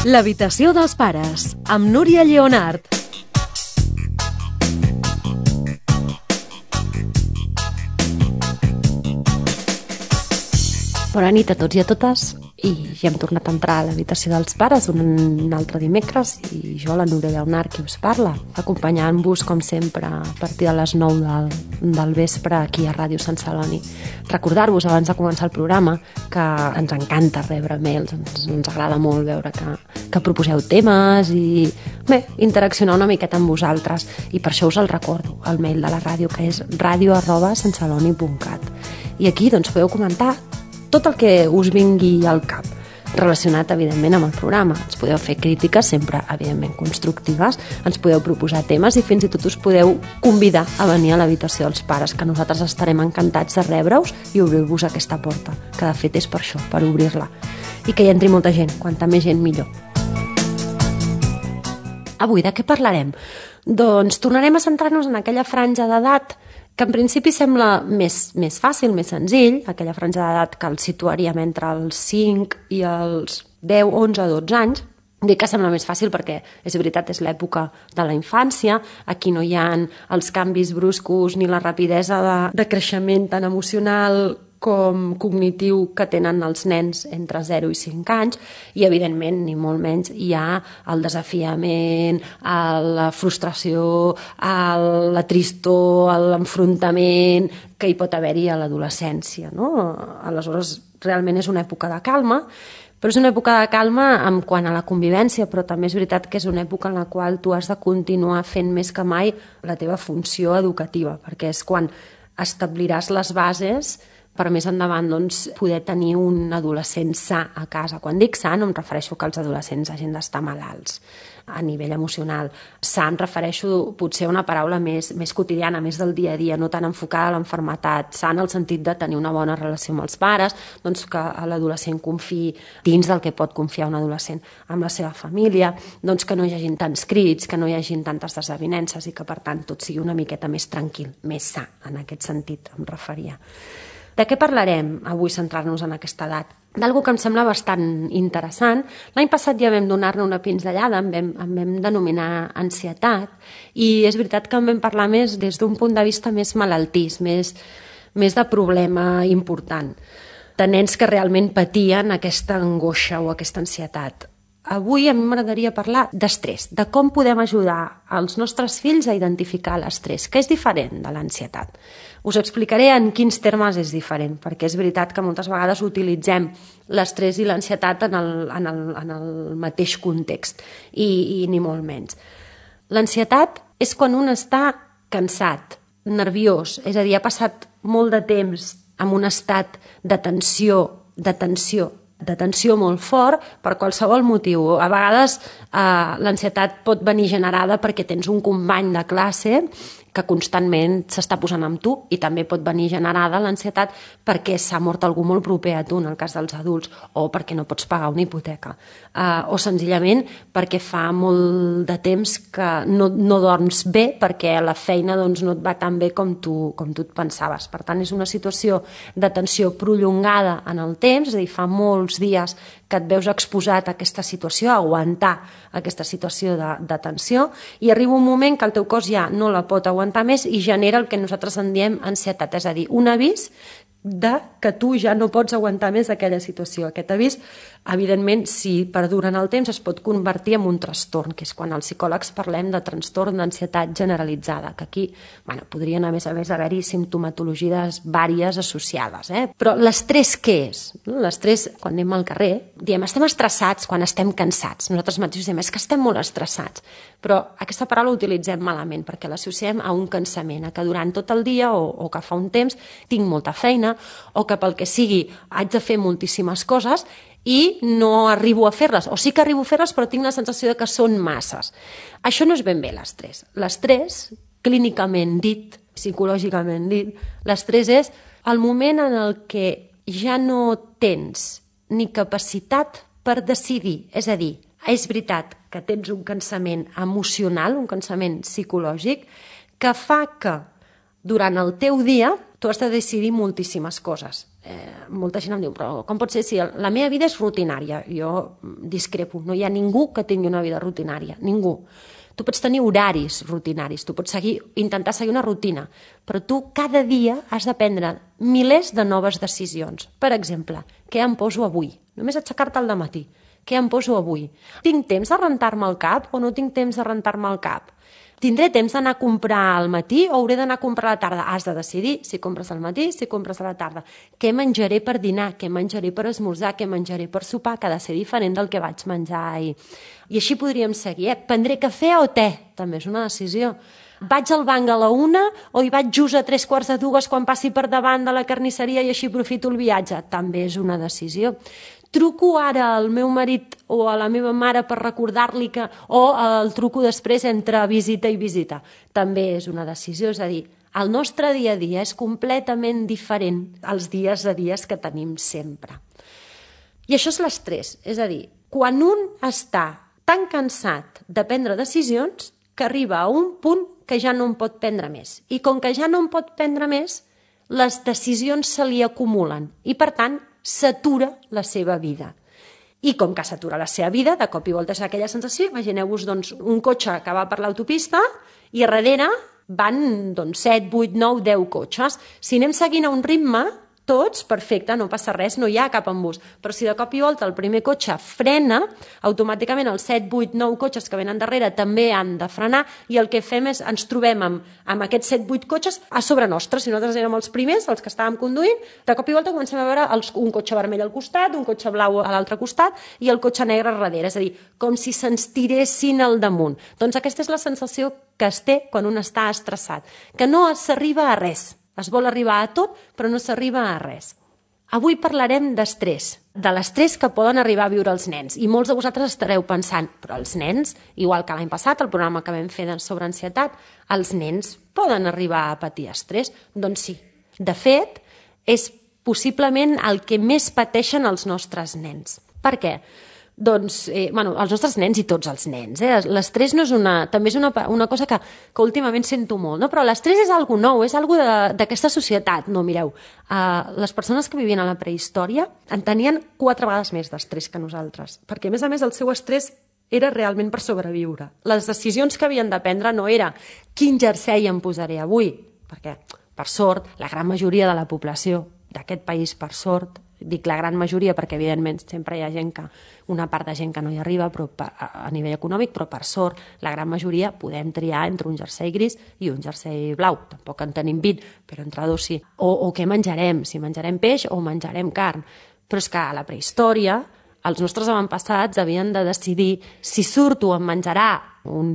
L'habitació dels pares, amb Núria Lleonart. Bona nit a tots i a totes, i ja hem tornat a entrar a l'habitació dels pares un altre dimecres, i jo, la Núria Lleonart, qui us parla, acompanyant-vos, com sempre, a partir de les 9 del vespre aquí a Ràdio Sant Celoni. Recordar-vos, abans de començar el programa, que ens encanta rebre mails, ens agrada molt veure que proposeu temes i, bé, interaccionar una miqueta amb vosaltres, i per això us el recordo, el mail de la ràdio, que és radio@santceloni.cat. I aquí, doncs, podeu comentar tot el que us vingui al cap, relacionat, evidentment, amb el programa. Ens podeu fer crítiques, sempre, evidentment, constructives, ens podeu proposar temes i fins i tot us podeu convidar a venir a l'habitació dels pares, que nosaltres estarem encantats de rebre-us i obrir-vos aquesta porta, que de fet és per això, per obrir-la. I que hi entri molta gent, quanta més gent millor. Avui de què parlarem? Doncs tornarem a centrar-nos en aquella franja d'edat que en principi sembla més fàcil, més senzill, aquella franja d'edat que el situaríem entre els 5 i els 10, 11, 12 anys. Dic que sembla més fàcil perquè, és veritat, és l'època de la infància, aquí no hi ha els canvis bruscos ni la rapidesa de creixement tan emocional com cognitiu que tenen els nens entre 0 i 5 anys, i evidentment, ni molt menys, hi ha el desafiament, la frustració, la tristor, l'enfrontament que hi pot haver-hi a l'adolescència, no? Aleshores, realment és una època de calma, però és una època de calma en quant a la convivència, però també és veritat que és una època en la qual tu has de continuar fent més que mai la teva funció educativa, perquè és quan establiràs les bases per més endavant, doncs, poder tenir un adolescent sa a casa. Quan dic sa no em refereixo que els adolescents hagin d'estar malalts a nivell emocional. Sa em refereixo potser a una paraula més quotidiana, més del dia a dia, no tan enfocada a l'enfermetat. Sa en el sentit de tenir una bona relació amb els pares, doncs que l'adolescent confiï dins del que pot confiar un adolescent amb la seva família, doncs que no hi hagin tants crits, que no hi hagin tantes desavinences i que, per tant, tot sigui una miqueta més tranquil, més sa, en aquest sentit em referia. De què parlarem avui, centrar-nos en aquesta edat? D'algú que em sembla bastant interessant. L'any passat ja vam donar-ne una pinzellada, en vam denominar ansietat, i és veritat que en vam parlar més des d'un punt de vista més malaltís, més de problema important, de nens que realment patien aquesta angoixa o aquesta ansietat. Avui a mi m'agradaria parlar d'estrès, de com podem ajudar els nostres fills a identificar l'estrès, que és diferent de l'ansietat. Us explicaré en quins termes és diferent, perquè és veritat que moltes vegades utilitzem l'estrès i l'ansietat en el mateix context, i ni molt menys. L'ansietat és quan un està cansat, nerviós, és a dir, ha passat molt de temps en un estat de tensió molt fort per qualsevol motiu. A vegades l'ansietat pot venir generada perquè tens un company de classe que constantment s'està posant amb tu, i també pot venir generada l'ansietat perquè s'ha mort algú molt proper a tu, en el cas dels adults, o perquè no pots pagar una hipoteca, o senzillament perquè fa molt de temps que no dorms bé perquè la feina no et va tan bé com tu et pensaves. Per tant, és una situació de tensió prolongada en el temps, és a dir, fa molts dies que et veus exposat a aquesta situació, a aguantar aquesta situació de tensió, i arriba un moment que el teu cos ja no la pot aguantar més i genera el que nosaltres en diem ansietat, és a dir, un avís de que tu ja no pots aguantar més aquella situació. Aquest avís, evidentment, si perdura en el temps, es pot convertir en un trastorn, que és quan els psicòlegs parlem de trastorn d'ansietat generalitzada, que aquí podrien, a més haver-hi simptomatologies vàries associades. Però l'estrès què és? L'estrès, quan anem al carrer, diem estem estressats quan estem cansats. Nosaltres mateixos diem és que estem molt estressats, però aquesta paraula l'utilitzem malament perquè l'associem a un cansament, a que durant tot el dia o que fa un temps tinc molta feina, o que pel que sigui haig de fer moltíssimes coses i no arribo a fer-les, o sí que arribo a fer-les però tinc la sensació de que són masses. Això no és ben bé l'estrès. L'estrès, clínicament dit, psicològicament dit, l'estrès és el moment en el que ja no tens ni capacitat per decidir. És a dir, és veritat que tens un cansament emocional, un cansament psicològic, que fa que durant el teu dia tu has de decidir moltíssimes coses. Molta gent em diu, però com pot ser si la meva vida és rutinària? Jo discrepo, no hi ha ningú que tingui una vida rutinària, ningú. Tu pots tenir horaris rutinaris, tu pots intentar seguir una rutina, però tu cada dia has de prendre milers de noves decisions. Per exemple, què em poso avui? Només aixecar-te al dematí. Què em poso avui? Tinc temps de rentar-me el cap o no tinc temps de rentar-me el cap? Tindré temps d'anar a comprar al matí o hauré d'anar a comprar a la tarda? Has de decidir si compres al matí, si compres a la tarda. Què menjaré per dinar? Què menjaré per esmorzar? Què menjaré per sopar? Que ha de ser diferent del que vaig menjar ahir. I així podríem seguir. Prendré cafè o te? També és una decisió. Vaig al banc a la 1 o hi vaig just a 3:45 quan passi per davant de la carnisseria i així aprofito el viatge? També és una decisió. Truco ara al meu marit o a la meva mare per recordar-li que... o el truco després entre visita i visita. També és una decisió, és a dir, el nostre dia a dia és completament diferent als dies a dies que tenim sempre. I això és l'estrès, és a dir, quan un està tan cansat de prendre decisions que arriba a un punt que ja no en pot prendre més. I com que ja no en pot prendre més, les decisions se li acumulen i, per tant, s'atura la seva vida. I com que s'atura la seva vida, de cop i volta és aquella sensació, imagineu-vos doncs, un cotxe que va per l'autopista i a darrere van 7, 8, 9, 10 cotxes. Si anem seguint a un ritme, tots, perfecte, no passa res, no hi ha cap embús. Però si de cop i volta el primer cotxe frena, automàticament els 7, 8, 9 cotxes que venen darrere també han de frenar i el que fem és ens trobem amb aquests 7, 8 cotxes a sobre nostre. Si nosaltres érem els primers, els que estàvem conduint, de cop i volta comencem a veure un cotxe vermell al costat, un cotxe blau a l'altre costat i el cotxe negre darrere. És a dir, com si se'ns tiressin al damunt. Doncs aquesta és la sensació que es té quan un està estressat, que no s'arriba a res. Es vol arribar a tot, però no s'arriba a res. Avui parlarem d'estrès, de l'estrès que poden arribar a viure els nens. I molts de vosaltres estareu pensant, però els nens, igual que l'any passat, el programa que vam fer sobre ansietat, els nens poden arribar a patir estrès? Doncs sí. De fet, és possiblement el que més pateixen els nostres nens. Per què? Doncs, els nostres nens i tots els nens. L'estrès no és també és una cosa que últimament sento molt, no? Però l'estrès és algo nou, és algo d'aquesta societat. No, mireu, les persones que vivien a la prehistòria en tenien 4 vegades més d'estrès que nosaltres, perquè a més el seu estrès era realment per sobreviure. Les decisions que havien de prendre no era quin jersei em posaré avui, perquè, per sort, la gran majoria de la població d'aquest país, per sort, dic la gran majoria perquè evidentment sempre hi ha una part de gent que no hi arriba però a nivell econòmic, però per sort la gran majoria podem triar entre un jersei gris i un jersei blau, tampoc en tenim 20, però entre dos sí. O què menjarem, si menjarem peix o menjarem carn. Però és que a la prehistòria els nostres avantpassats havien de decidir si surto em menjarà un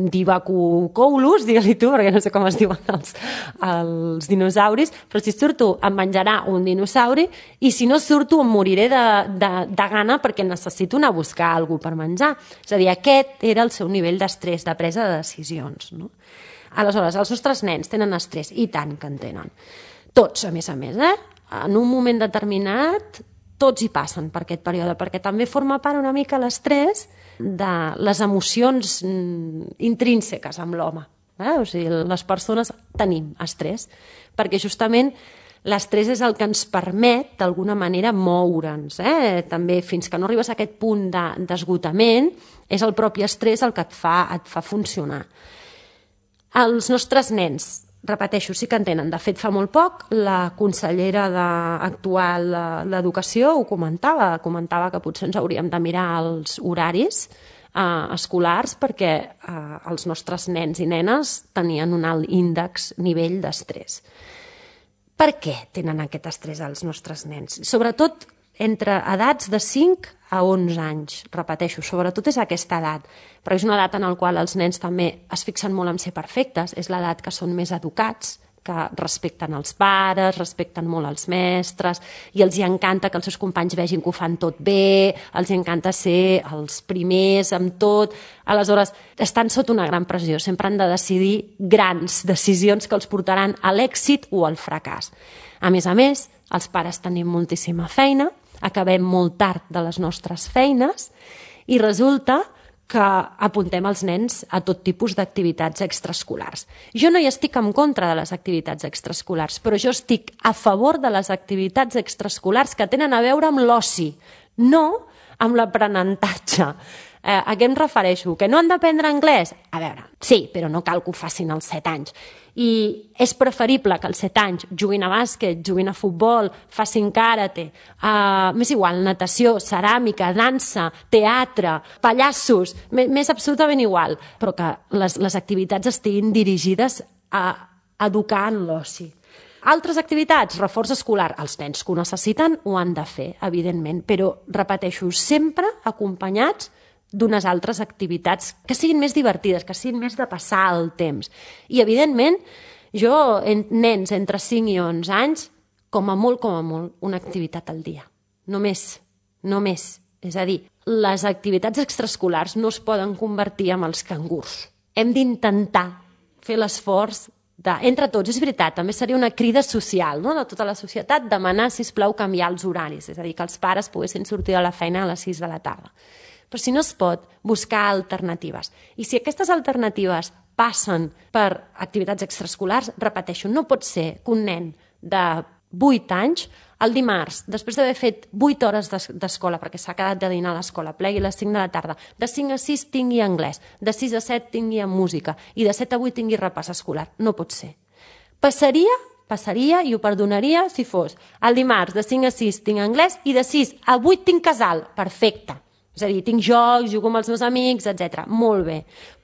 Divacucolus, digue-li tu, perquè no sé com es diuen els dinosauris, però si surto em menjarà un dinosauri i si no surto em moriré de gana perquè necessito anar a buscar alguna cosa per menjar. És a dir, aquest era el seu nivell d'estrès, de presa de decisions. No? Aleshores, els nostres nens tenen estrès, i tant que en tenen. Tots, a més, en un moment determinat tots hi passen per aquest període, perquè també forma part una mica l'estrès de les emocions intrínseques amb l'home. O sigui, les persones tenim estrès, perquè justament l'estrès és el que ens permet, d'alguna manera, moure'ns. També, fins que no arribes a aquest punt d'esgotament, és el propi estrès el que et fa funcionar. Els nostres nens, repeteixo, sí que en tenen. De fet, fa molt poc, la consellera actual d'Educació ho comentava que potser ens hauríem de mirar els horaris escolars perquè els nostres nens i nenes tenien un alt nivell d'estrès. Per què tenen aquest estrès els nostres nens? Sobretot entre edats de 5 a 11 anys, repeteixo, sobretot és aquesta edat, però és una edat en la qual els nens també es fixen molt en ser perfectes, és l'edat que són més educats, que respecten els pares, respecten molt els mestres, i els hi encanta que els seus companys vegin que ho fan tot bé, els hi encanta ser els primers amb tot. Aleshores, estan sota una gran pressió, sempre han de decidir grans decisions que els portaran a l'èxit o al fracàs. A més, els pares tenim moltíssima feina, acabem molt tard de les nostres feines i resulta que apuntem els nens a tot tipus d'activitats extraescolars. Jo no hi estic en contra de les activitats extraescolars, però jo estic a favor de les activitats extraescolars que tenen a veure amb l'oci, no amb l'aprenentatge. A què em refereixo? Que no han d'aprendre anglès? A veure, sí, però no cal que ho facin als 7 anys. I és preferible que als 7 anys juguin a bàsquet, juguin a futbol, facin karate, m'és igual, natació, ceràmica, dansa, teatre, pallassos, m'és absolutament igual, però que les activitats estiguin dirigides a educar en l'oci. Altres activitats, reforç escolar, els nens que ho necessiten ho han de fer, evidentment, però, repeteixo, sempre acompanyats d'unes altres activitats que siguin més divertides, que siguin més de passar el temps. I, evidentment, jo, nens entre 5 i 11 anys, com a molt, una activitat al dia. Només. És a dir, les activitats extraescolars no es poden convertir en els cangurs. Hem d'intentar fer l'esforç entre tots. És veritat, també seria una crida social, no?, de tota la societat, demanar, sisplau, canviar els horaris, és a dir, que els pares poguessin sortir de la feina a les 6 de la tarda. Però si no es pot, buscar alternatives. I si aquestes alternatives passen per activitats extraescolars, repeteixo, no pot ser que un nen de 8 anys, el dimarts, després d'haver fet 8 hores d'escola, perquè s'ha quedat de dinar a l'escola, plegui a les 5 de la tarda, de 5 a 6 tingui anglès, de 6 a 7 tingui música i de 7 a 8 tingui repàs escolar. No pot ser. Passaria i ho perdonaria si fos el dimarts de 5 a 6 tinc anglès i de 6 a 8 tinc casal. Perfecte. És a dir, tinc jocs, jugo amb els meus amics, etc. Molt bé,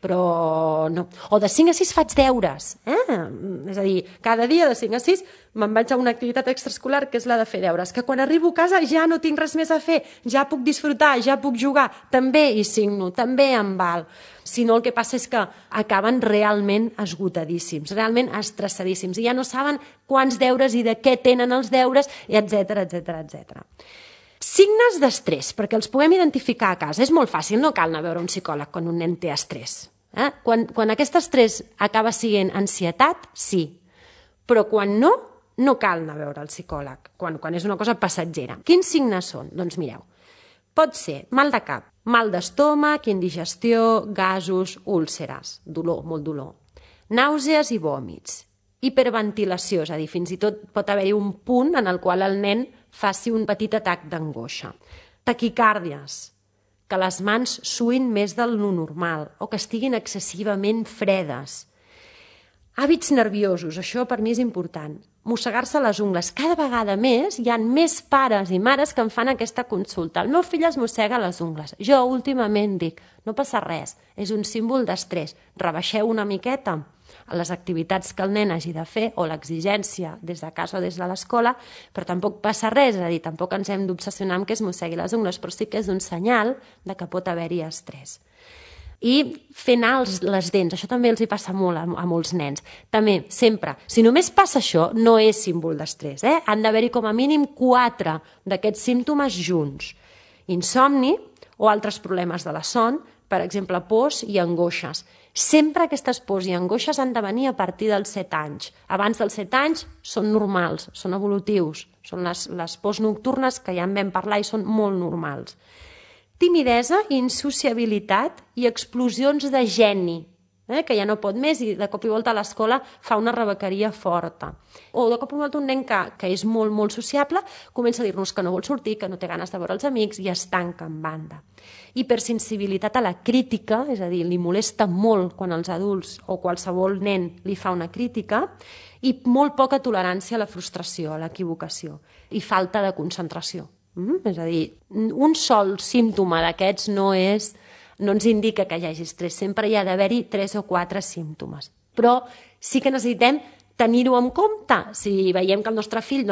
però no. O de 5 a 6 faig deures. És a dir, cada dia de 5 a 6 me'n vaig a una activitat extraescolar que és la de fer deures, que quan arribo a casa ja no tinc res més a fer, ja puc disfrutar, ja puc jugar, també hi signo, també em val. Si no, el que passa és que acaben realment esgotadíssims, realment estressadíssims, i ja no saben quants deures i de què tenen els deures, etc. Signes d'estrès, perquè els puguem identificar a casa. És molt fàcil, no cal anar a veure un psicòleg quan un nen té estrès. Quan aquest estrès acaba sent ansietat, sí. Però quan no, no cal anar a veure el psicòleg, quan és una cosa passatgera. Quins signes són? Doncs mireu, pot ser mal de cap, mal d'estómac, indigestió, gasos, úlceres, dolor, molt dolor, nàusees i vòmits, hiperventilació, és a dir, fins i tot pot haver-hi un punt en el qual el nen faci un petit atac d'angoixa, taquicàrdies, que les mans suïn més del normal o que estiguin excessivament fredes, hàbits nerviosos, això per mi és important, mossegar-se les ungles. Cada vegada més hi ha més pares i mares que em fan aquesta consulta. El meu fill es mossega les ungles. Jo últimament dic, no passa res, és un símbol d'estrès. Rebaixeu una miqueta a les activitats que el nen hagi de fer o l'exigència des de casa o des de l'escola, però tampoc passa res, és a dir, tampoc ens hem d'obsessionar amb que es mossegui les ungles, però sí que és un senyal de que pot haver-hi estrès. I fer anar les dents, això també els hi passa molt a molts nens. També, sempre, si només passa això, no és símbol d'estrès. Han d'haver-hi com a mínim 4 d'aquests símptomes junts. Insomni o altres problemes de la son, per exemple, pors i angoixes. Sempre aquestes pors i angoixes han de venir a partir dels 7 anys. Abans dels 7 anys són normals, són evolutius, són les pors nocturnes que ja en vam parlar i són molt normals. Timidesa, insociabilitat i explosions de geni, que ja no pot més i de cop i volta a l'escola fa una rebequeria forta. O de cop i volta un nen que és molt, molt sociable comença a dir-nos que no vol sortir, que no té ganes de veure els amics i es tanca en banda. Hipersensibilitat a la crítica, és a dir, li molesta molt quan els adults o qualsevol nen li fa una crítica, i molt poca tolerància a la frustració, a l'equivocació, i falta de concentració. És a dir, un sol símptoma d'aquests no ens indica que hi hagi estrès, sempre hi ha d'haver-hi 3 o 4 símptomes. Però sí que necessitem tenir-ho en compte. Si veiem que el nostre fill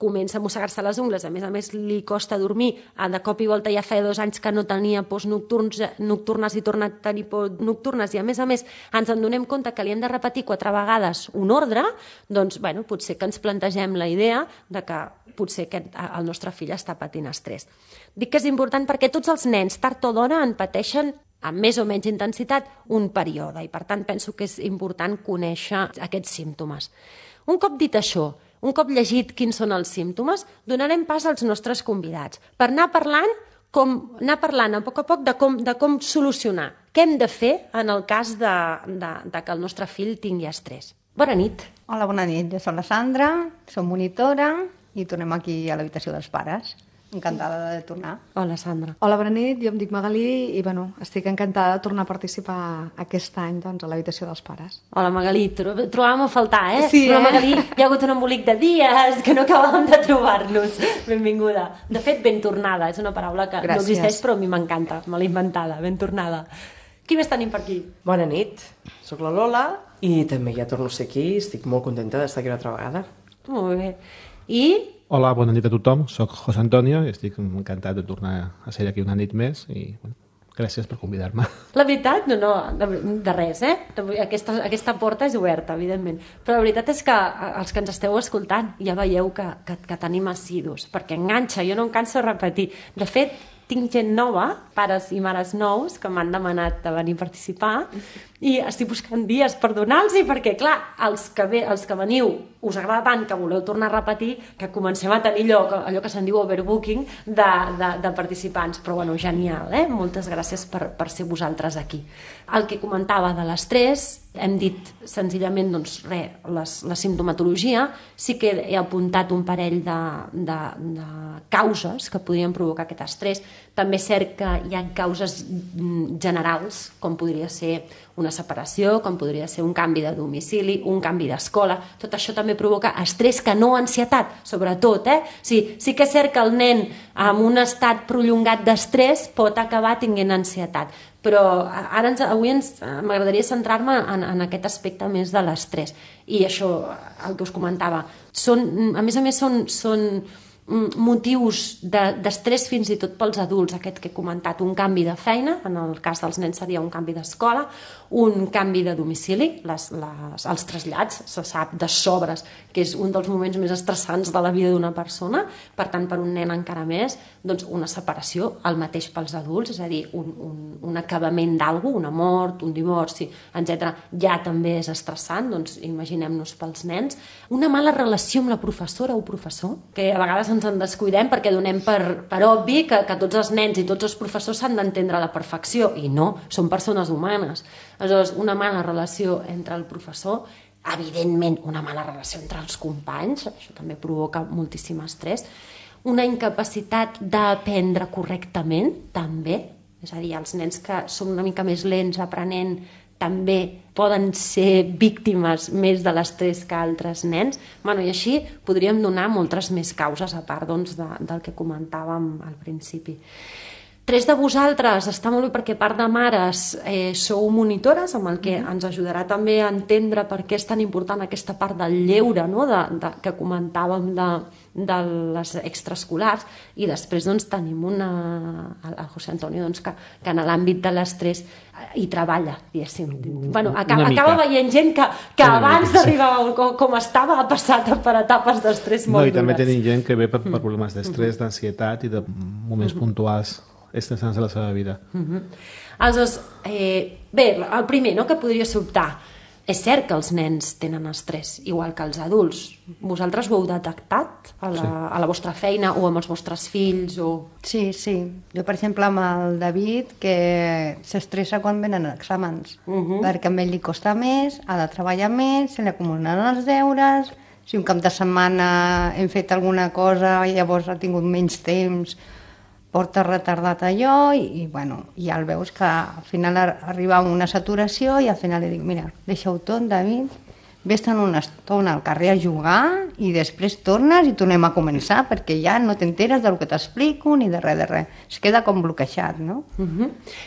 comença a mossegar-se les ungles, a més li costa dormir, de cop i volta ja feia 2 anys que no tenia pors nocturnes i torna a tenir pors nocturnes i a més ens en donem compte que li hem de repetir 4 vegades un ordre, doncs potser que ens plantegem la idea de que potser el nostre fill està patint estrès. Dic que és important perquè tots els nens, tard o d'hora, en pateixen amb més o menys intensitat un període i per tant penso que és important conèixer aquests símptomes. Un cop dit això, un cop llegit quins són els símptomes, donarem pas als nostres convidats per anar parlant anar parlant a poc de com solucionar. Què hem de fer en el cas de que el nostre fill tingui estrès? Bona nit. Hola, bona nit. Jo soc la Sandra, soc monitora i tornem aquí a l'habitació dels pares. Encantada de tornar. Hola, Sandra. Hola, bona nit. Jo em dic Magalí i estic encantada de tornar a participar aquest any a l'habitació dels pares. Hola, Magalí. Trobàvem a faltar, eh? Sí, però, Magalí, hi ha hagut un embolic de dies que no acabàvem de trobar-nos. Benvinguda. De fet, ben tornada. És una paraula que no existeix, però a mi m'encanta. Me l'he inventada. Ben tornada. Qui més tenim per aquí? Bona nit. Soc la Lola i també ja torno a ser aquí. Estic molt contenta d'estar aquí una altra vegada. Molt bé. I... Hola, bona nit a tothom. Soc José Antonio i estic encantat de tornar a ser aquí una nit més i gràcies per convidar-me. La veritat, no, de res, eh? Aquesta porta és oberta, evidentment. Però la veritat és que els que ens esteu escoltant ja veieu que tenim assidus, perquè enganxa, jo no em canso de repetir. De fet, tinc gent nova, pares i mares nous, que m'han demanat de venir a participar i estic buscant dies per donar-los perquè, clar, els que veniu us agrada tant que voleu tornar a repetir que comencem a tenir allò que se'n diu overbooking de participants. Però, bueno, genial, eh? Moltes gràcies per ser vosaltres aquí. El que comentava de l'estrès, hem dit senzillament, doncs, la simptomatologia. Sí que he apuntat un parell de causes que podrien provocar aquest estrès. També és cert que hi ha causes generals, com podria ser una separació, com podria ser un canvi de domicili, un canvi d'escola. Tot això també provoca estrès, que no ansietat, sobretot. Sí que és cert que el nen amb un estat prolongat d'estrès pot acabar tenint ansietat, però avui m'agradaria centrar-me en aquest aspecte més de l'estrès. I això, el que us comentava, a més a més són motius d'estrès fins i tot pels adults, aquest que he comentat, un canvi de feina, en el cas dels nens seria un canvi d'escola, un canvi de domicili, els trasllats, se sap de sobres que és un dels moments més estressants de la vida d'una persona, per tant per un nen encara més, doncs una separació, el mateix pels adults, és a dir, un acabament d'algú, una mort, un divorci, etc. ja també és estressant, doncs imaginem-nos pels nens. Una mala relació amb la professora o professor, que a vegades ens en descuidem perquè donem per obvi que tots els nens i tots els professors s'han d'entendre a la perfecció, i no, són persones humanes. Aleshores, una mala relació entre el professor, evidentment una mala relació entre els companys, això també provoca moltíssim estrès, una incapacitat d'aprendre correctament, també, és a dir, els nens que són una mica més lents aprenent també poden ser víctimes més de l'estrès que altres nens. I així podríem donar moltes més causes, a part del que comentàvem al principi. 3 de vosaltres, està molt bé perquè part de mares sou monitores, amb el que ens ajudarà també a entendre per què és tan important aquesta part del lleure, no? Que comentàvem de les extraescolars, i després tenim el José Antonio que en l'àmbit de l'estrès hi treballa, diguéssim. Acaba veient gent que abans d'arribar com estava ha passat per etapes d'estrès molt dures. I també tenim gent que ve per problemes d'estrès, d'ansietat i de moments puntuals estressants de la seva vida. Aleshores, bé, el primer que podria sobtar, és cert que els nens tenen estrès, igual que els adults. Vosaltres ho heu detectat a la vostra feina o amb els vostres fills? Sí. Jo, per exemple, amb el David, que s'estressa quan venen exàmens, perquè a ell li costa més, ha de treballar més, se li acumulen els deures, si un cap de setmana hem fet alguna cosa i llavors ha tingut menys temps, porta retardat allò i ja el veus que al final arriba a una saturació i al final li dic, mira, deixa-ho tot, David, vés-te'n una estona al carrer a jugar i després tornes i tornem a començar perquè ja no t'enteres del que t'explico ni de res. Es queda com bloquejat, no?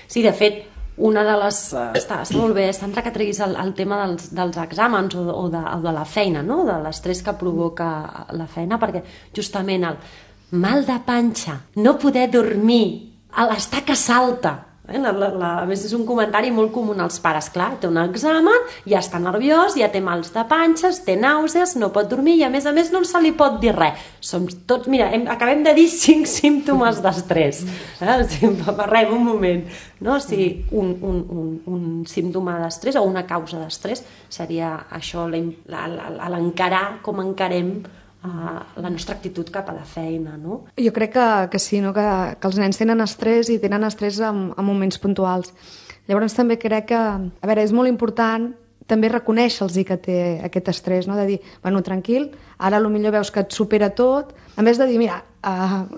Sí, de fet, una de les... Està molt bé, Sandra, que treguis el tema dels exàmens o de la feina, no? De l'estrès que provoca la feina, perquè justament el mal de panxa, no poder dormir, l'estar que salta. A més, és un comentari molt comú als pares. Clar, té un examen, ja està nerviós, ja té mals de panxes, té nàusees, no pot dormir i a més no se li pot dir res. Som tots, mira, acabem de dir 5 símptomes d'estrès. Parlem un moment. No? Si un símptoma d'estrès o una causa d'estrès seria això, l'encarar com encarem la nostra actitud cap a la feina, no? Jo crec que sí, no? que els nens tenen estrès i tenen estrès en moments puntuals. Llavors també crec que, a veure, és molt important també reconèixer-los que té aquest estrès, no? De dir, bueno, tranquil, ara potser veus que et supera tot, en vez de dir, mira,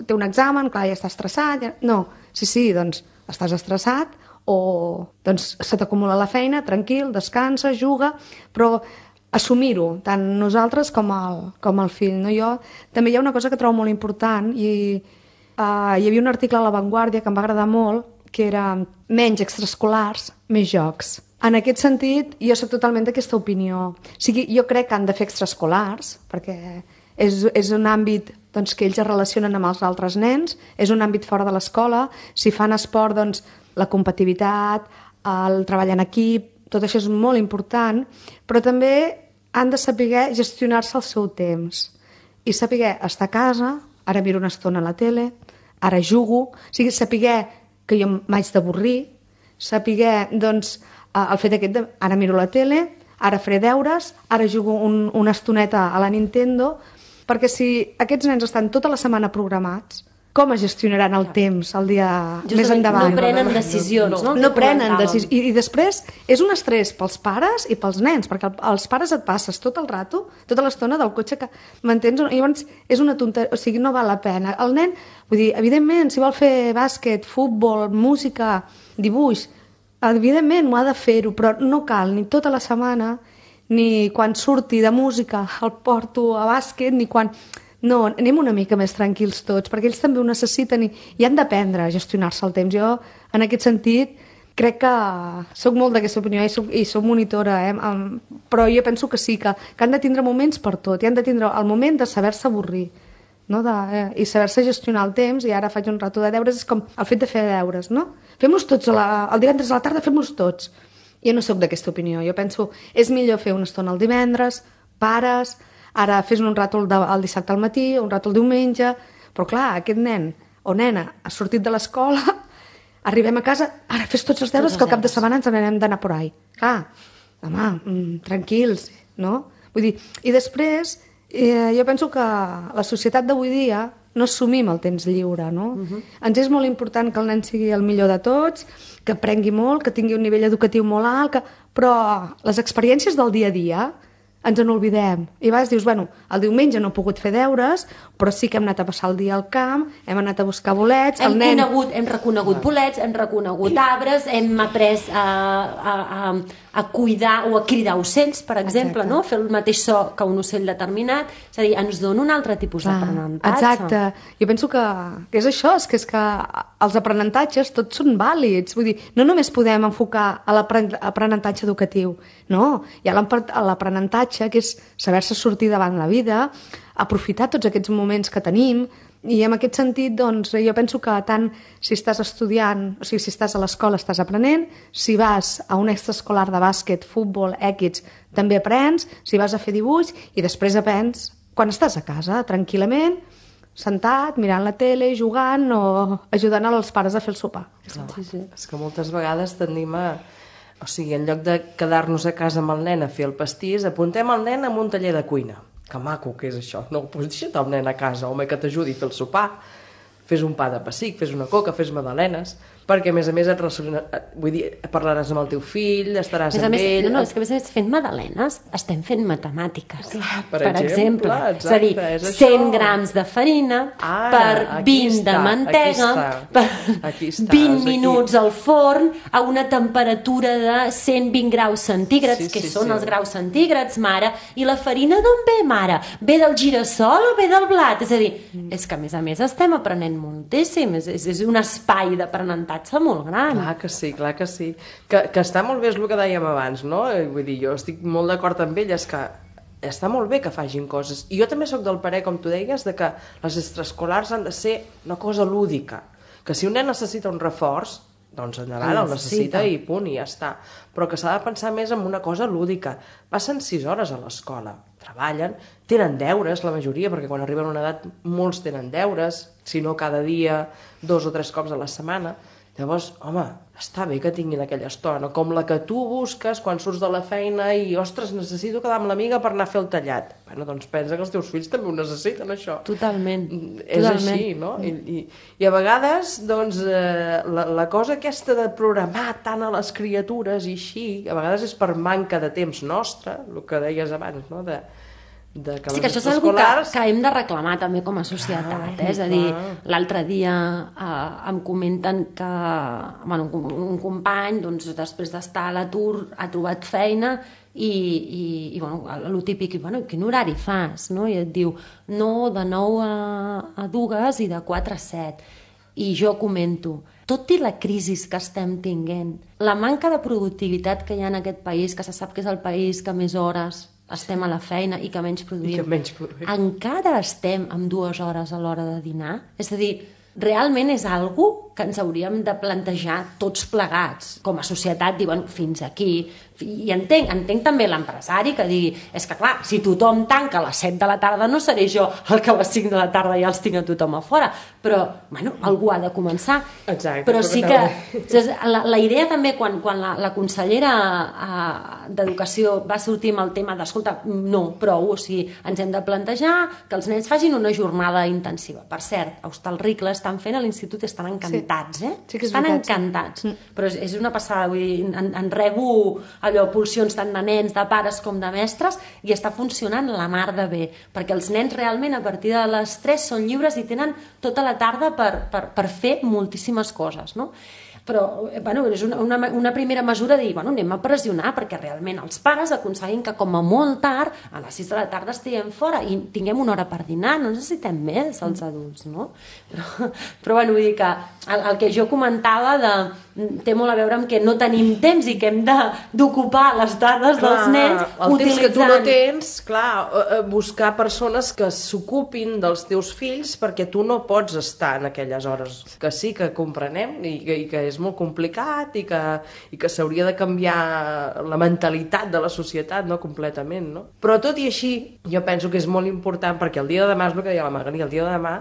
té un examen, clar, ja està estressat, ja... no, sí, doncs estàs estressat o doncs se t'acumula la feina, tranquil, descansa, juga, però assumir-ho, tant nosaltres com el fill. No? Jo també hi ha una cosa que trobo molt important i hi havia un article a La Vanguardia que em va agradar molt, que era menys extraescolars, més jocs. En aquest sentit, jo soc totalment d'aquesta opinió. O sigui, jo crec que han de fer extraescolars, perquè és un àmbit doncs, que ells es relacionen amb els altres nens, és un àmbit fora de l'escola, si fan esport, doncs, la competitivitat, el treball en equip, tot això és molt important, però també han de saber gestionar-se el seu temps i saber estar a casa, ara miro una estona a la tele, ara jugo, o sigui, saber que jo m'haig d'avorrir, saber, doncs, el fet aquest de ara miro la tele, ara faré deures, ara jugo una estoneta a la Nintendo, perquè si aquests nens estan tota la setmana programats, com es gestionaran el temps el dia més endavant? No prenen decisions, no? No prenen decisions. I després és un estrès pels pares i pels nens, perquè els pares et passes tot el rato, tota l'estona del cotxe que m'entens? I llavors és una tonteria, o sigui, no val la pena. El nen, vull dir, evidentment, si vol fer bàsquet, futbol, música, dibuix, evidentment ho ha de fer-ho, però no cal ni tota la setmana, ni quan surti de música el porto a bàsquet, ni quan... No, anem una mica més tranquils tots, perquè ells també ho necessiten i han d'aprendre a gestionar-se el temps. Jo, en aquest sentit, crec que soc molt d'aquesta opinió i soc monitora, però jo penso que sí, que han de tindre moments per tot, i han de tindre el moment de saber-se avorrir, no? I saber-se gestionar el temps, i ara faig un rato de deures, és com el fet de fer deures, no? Fem-los tots, el divendres a la tarda fem-los tots. Jo no sóc d'aquesta opinió, jo penso és millor fer una estona el divendres, pares... Ara fes un rato el dissabte al matí, un rato el diumenge... Però clar, aquest nen o nena ha sortit de l'escola, arribem a casa, ara fes tots els deures que al cap de setmana ens n'anem d'anar por ahí. Clar, home, tranquils, no? Vull dir, i després jo penso que la societat d'avui dia no assumim el temps lliure, no? Ens és molt important que el nen sigui el millor de tots, que aprengui molt, que tingui un nivell educatiu molt alt, però les experiències del dia a dia ens en oblidem. I a vegades dius, bueno, el diumenge no he pogut fer deures, però sí que hem anat a passar el dia al camp, hem anat a buscar bolets... Hem reconegut bolets, hem reconegut arbres, hem après a cuidar o a cridar ocells, per exemple, no? Fer el mateix so que un ocell determinat. És a dir, ens dona un altre tipus d'aprenentatge. Exacte. Jo penso que és això, és que els aprenentatges tots són vàlids. Vull dir, no només podem enfocar a l'aprenentatge educatiu, no? Hi ha l'aprenentatge, que és saber-se sortir davant la vida, aprofitar tots aquests moments que tenim, i en aquest sentit, doncs, jo penso que tant si estàs estudiant, o sigui, si estàs a l'escola estàs aprenent, si vas a un extraescolar de bàsquet, futbol, equips, també aprens, si vas a fer dibuix, i després aprens quan estàs a casa, tranquil·lament, sentat, mirant la tele, jugant o ajudant els pares a fer el sopar. Sí. És que moltes vegades tendim a... O sigui, en lloc de quedar-nos a casa amb el nen a fer el pastís, apuntem el nen a un taller de cuina. Que maco que és això. No, doncs deixa't el nen a casa, home, que t'ajudi a fer el sopar. Fes un pa de pessic, fes una coca, fes magdalenes, perquè a més vull dir, parlaràs amb el teu fill, estaràs amb ell... No, és que a més fent magdalenes estem fent matemàtiques. Clar, per exemple. Exacte, és a dir, 100 grams de farina per 20 de mantega, per 20 minuts al forn a una temperatura de 120 graus centígrads, que són els graus centígrads, mare, i la farina d'on ve, mare? Ve del girassol o ve del blat? És a dir, és que a més estem aprenent moltíssim, és un espai d'aprenentatge molt gran. Clar que sí, clar que sí. Que està molt bé, és el que dèiem abans, no? Vull dir, jo estic molt d'acord amb elles, que està molt bé que facin coses. I jo també sóc del parer, com tu deies, de que les extraescolars han de ser una cosa lúdica. Que si un nen necessita un reforç, doncs endavant, el necessita i punt, i ja està. Però que s'ha de pensar més en una cosa lúdica. Passen 6 hores a l'escola, treballen, tenen deures, la majoria, perquè quan arriben a una edat molts tenen deures, si no cada dia, 2 o 3 cops a la setmana. Llavors, home, està bé que tinguin aquella estona, com la que tu busques quan surts de la feina i, ostres, necessito quedar amb l'amiga per anar a fer el tallat. Bueno, doncs pensa que els teus fills també ho necessiten, això. Totalment. És així, no? I a vegades, doncs, la cosa aquesta de programar tant a les criatures i així, a vegades és per manca de temps nostre, el que deies abans, no?, que sí, que això és una cosa que hem de reclamar també com a societat, és a dir, l'altre dia em comenten que un company, doncs, després d'estar a l'atur ha trobat feina i el típic, quin horari fas? No? I et diu, no, de 9 a 2 i de 4 a 7. I jo comento, tot i la crisi que estem tinguent, la manca de productivitat que hi ha en aquest país, que se sap que és el país que més hores estem a la feina i que menys produïm, encara estem amb 2 hores a l'hora de dinar? És a dir, realment és algo que ens hauríem de plantejar tots plegats, com a societat, dir, fins aquí. I entenc també l'empresari que digui, és que clar, si tothom tanca a les 7 de la tarda no seré jo el que a les 5 de la tarda ja els tinc a tothom a fora, però, algú ha de començar. Exacte. Però sí que la idea també, quan la consellera d'Educació va sortir amb el tema d'escolta, no, prou, o sigui, ens hem de plantejar que els nens facin una jornada intensiva. Per cert, a Hostalric estan fent a l'institut, estan encantats, Sí que és estan veritat, encantats. Però és una passada, vull dir, en rebo allò, pulsions tant de nens, de pares com de mestres, i està funcionant la mar de bé, perquè els nens realment a partir de les 3 són lliures i tenen tota la tarda per fer moltíssimes coses, no? Però és una primera mesura de dir, anem a pressionar perquè realment els pares aconseguin que com a molt tard, a les 6 de la tarda estiguem fora i tinguem una hora per dinar, no necessitem més els adults, no? Però vull dir que el que jo comentava té molt a veure amb que no tenim temps i que hem d'ocupar les dades dels nens el temps que tu no tens, clar, buscar persones que s'ocupin dels teus fills perquè tu no pots estar en aquelles hores, que sí que comprenem i que és molt complicat i que s'hauria de canviar la mentalitat de la societat, no, completament, no? Però tot i així, jo penso que és molt important perquè el dia de demà, és el que deia la Magali, el dia de demà,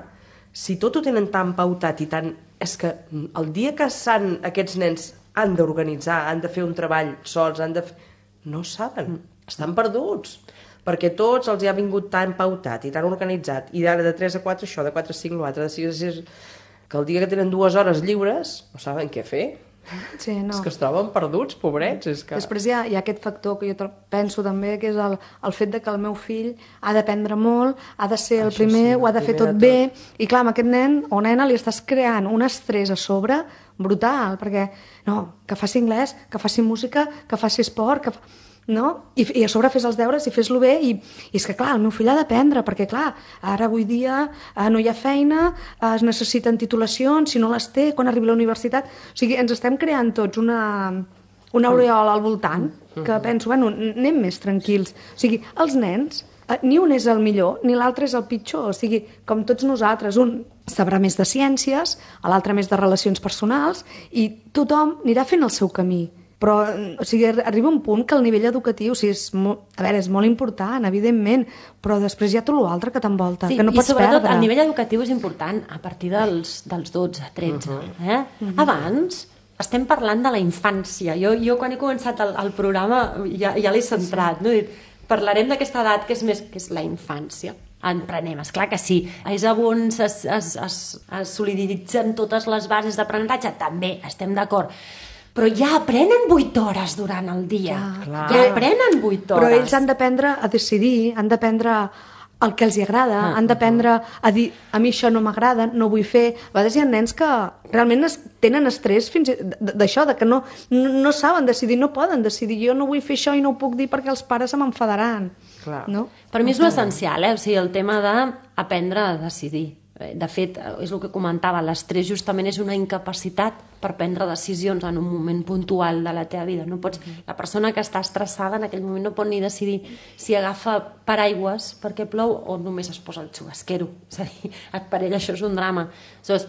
si tot ho tenen tan pautat i tan... És que el dia que aquests nens han d'organitzar, han de fer un treball sols, no saben, estan perduts, perquè tots els hi ha vingut tan pautat i tan organitzat, i ara de 3 a 4 això, de 4 a 5 l'altre, de 6 a 6... que el dia que tenen 2 hores lliures no saben què fer. Sí, no. És que es troben perduts, pobrets. És que... Després hi ha aquest factor que jo penso també, que és el fet de que el meu fill ha d'aprendre molt, ha de ser el primer, ho ha de fer tot bé, i clar, amb aquest nen o nena li estàs creant un estrès a sobre brutal, perquè que faci anglès, que faci música, que faci esport, no? I a sobre fes els deures i fes-lo bé, i és que clar, el meu fill ha d'aprendre, perquè clar, ara avui dia no hi ha feina, es necessiten titulacions, si no les té, quan arribi a la universitat, o sigui, ens estem creant tots una aureola al voltant, que penso, anem més tranquils, o sigui, els nens, ni un és el millor, ni l'altre és el pitjor, o sigui, com tots nosaltres, un sabrà més de ciències, l'altre més de relacions personals, i tothom anirà fent el seu camí. Però arriba un punt que el nivell educatiu és molt important, evidentment, però després hi ha tot l'altre que t'envolta, que no pots perdre. I sobretot el nivell educatiu és important a partir dels 12, 13. Abans estem parlant de la infància. Jo quan he començat el programa ja l'he centrat, no? Parlarem d'aquesta edat que és la infància. En prenem, esclar que sí. És on es soliditzen totes les bases d'aprenentatge, també estem d'acord. Però ja aprenen 8 hores durant el dia. Ja aprenen 8 hores. Però ells han d'aprendre a decidir, han d'aprendre el que els agrada, han d'aprendre a dir, a mi això no m'agrada, no vull fer. A vegades hi ha nens que realment tenen estrès fins d'això, que no saben decidir, no poden decidir. Jo no vull fer això i no ho puc dir perquè els pares se m'enfadaran. No? Per mi és l'essencial, o sigui, el tema d'aprendre a decidir. De fet, és el que comentava, l'estrès justament és una incapacitat per prendre decisions en un moment puntual de la teva vida. La persona que està estressada en aquell moment no pot ni decidir si agafa paraigües perquè plou o només es posa el xubasquero. És a dir, per ell això és un drama. Aleshores,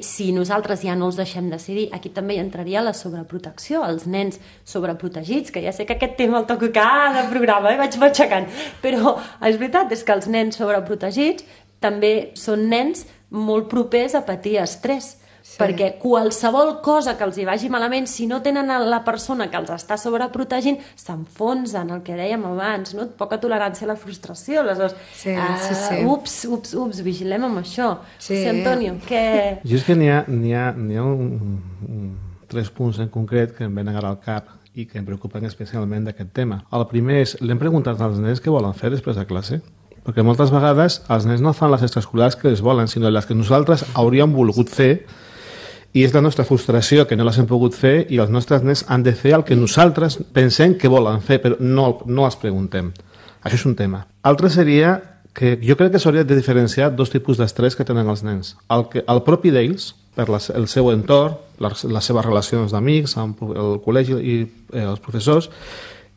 si nosaltres ja no els deixem decidir, aquí també hi entraria la sobreprotecció, els nens sobreprotegits, que ja sé que aquest tema el toco cada programa, vaig matxacant, però és veritat, és que els nens sobreprotegits també són nens molt propers a patir estrès, perquè qualsevol cosa que els hi vagi malament, si no tenen la persona que els està sobreprotegint, s'enfonsen, el que dèiem abans, no? Poca tolerància a la frustració, aleshores, ups, vigilem amb això. Sí, Antonio, què... Jo és que n'hi ha 3 punts en concret que em venen ara al cap i que em preocupen especialment d'aquest tema. El primer és, l'hem preguntat als nens què volen fer després de classe, perquè moltes vegades els nens no fan les extraescolars que els volen, sinó les que nosaltres hauríem volgut fer, i és la nostra frustració que no les hem pogut fer, i els nostres nens han de fer el que nosaltres pensem que volen fer, però no els preguntem. Això és un tema. Altre seria que jo crec que s'hauria de diferenciar 2 tipus d'estrès que tenen els nens. El propi d'ells, per el seu entorn, les seves relacions d'amics, el col·legi i els professors,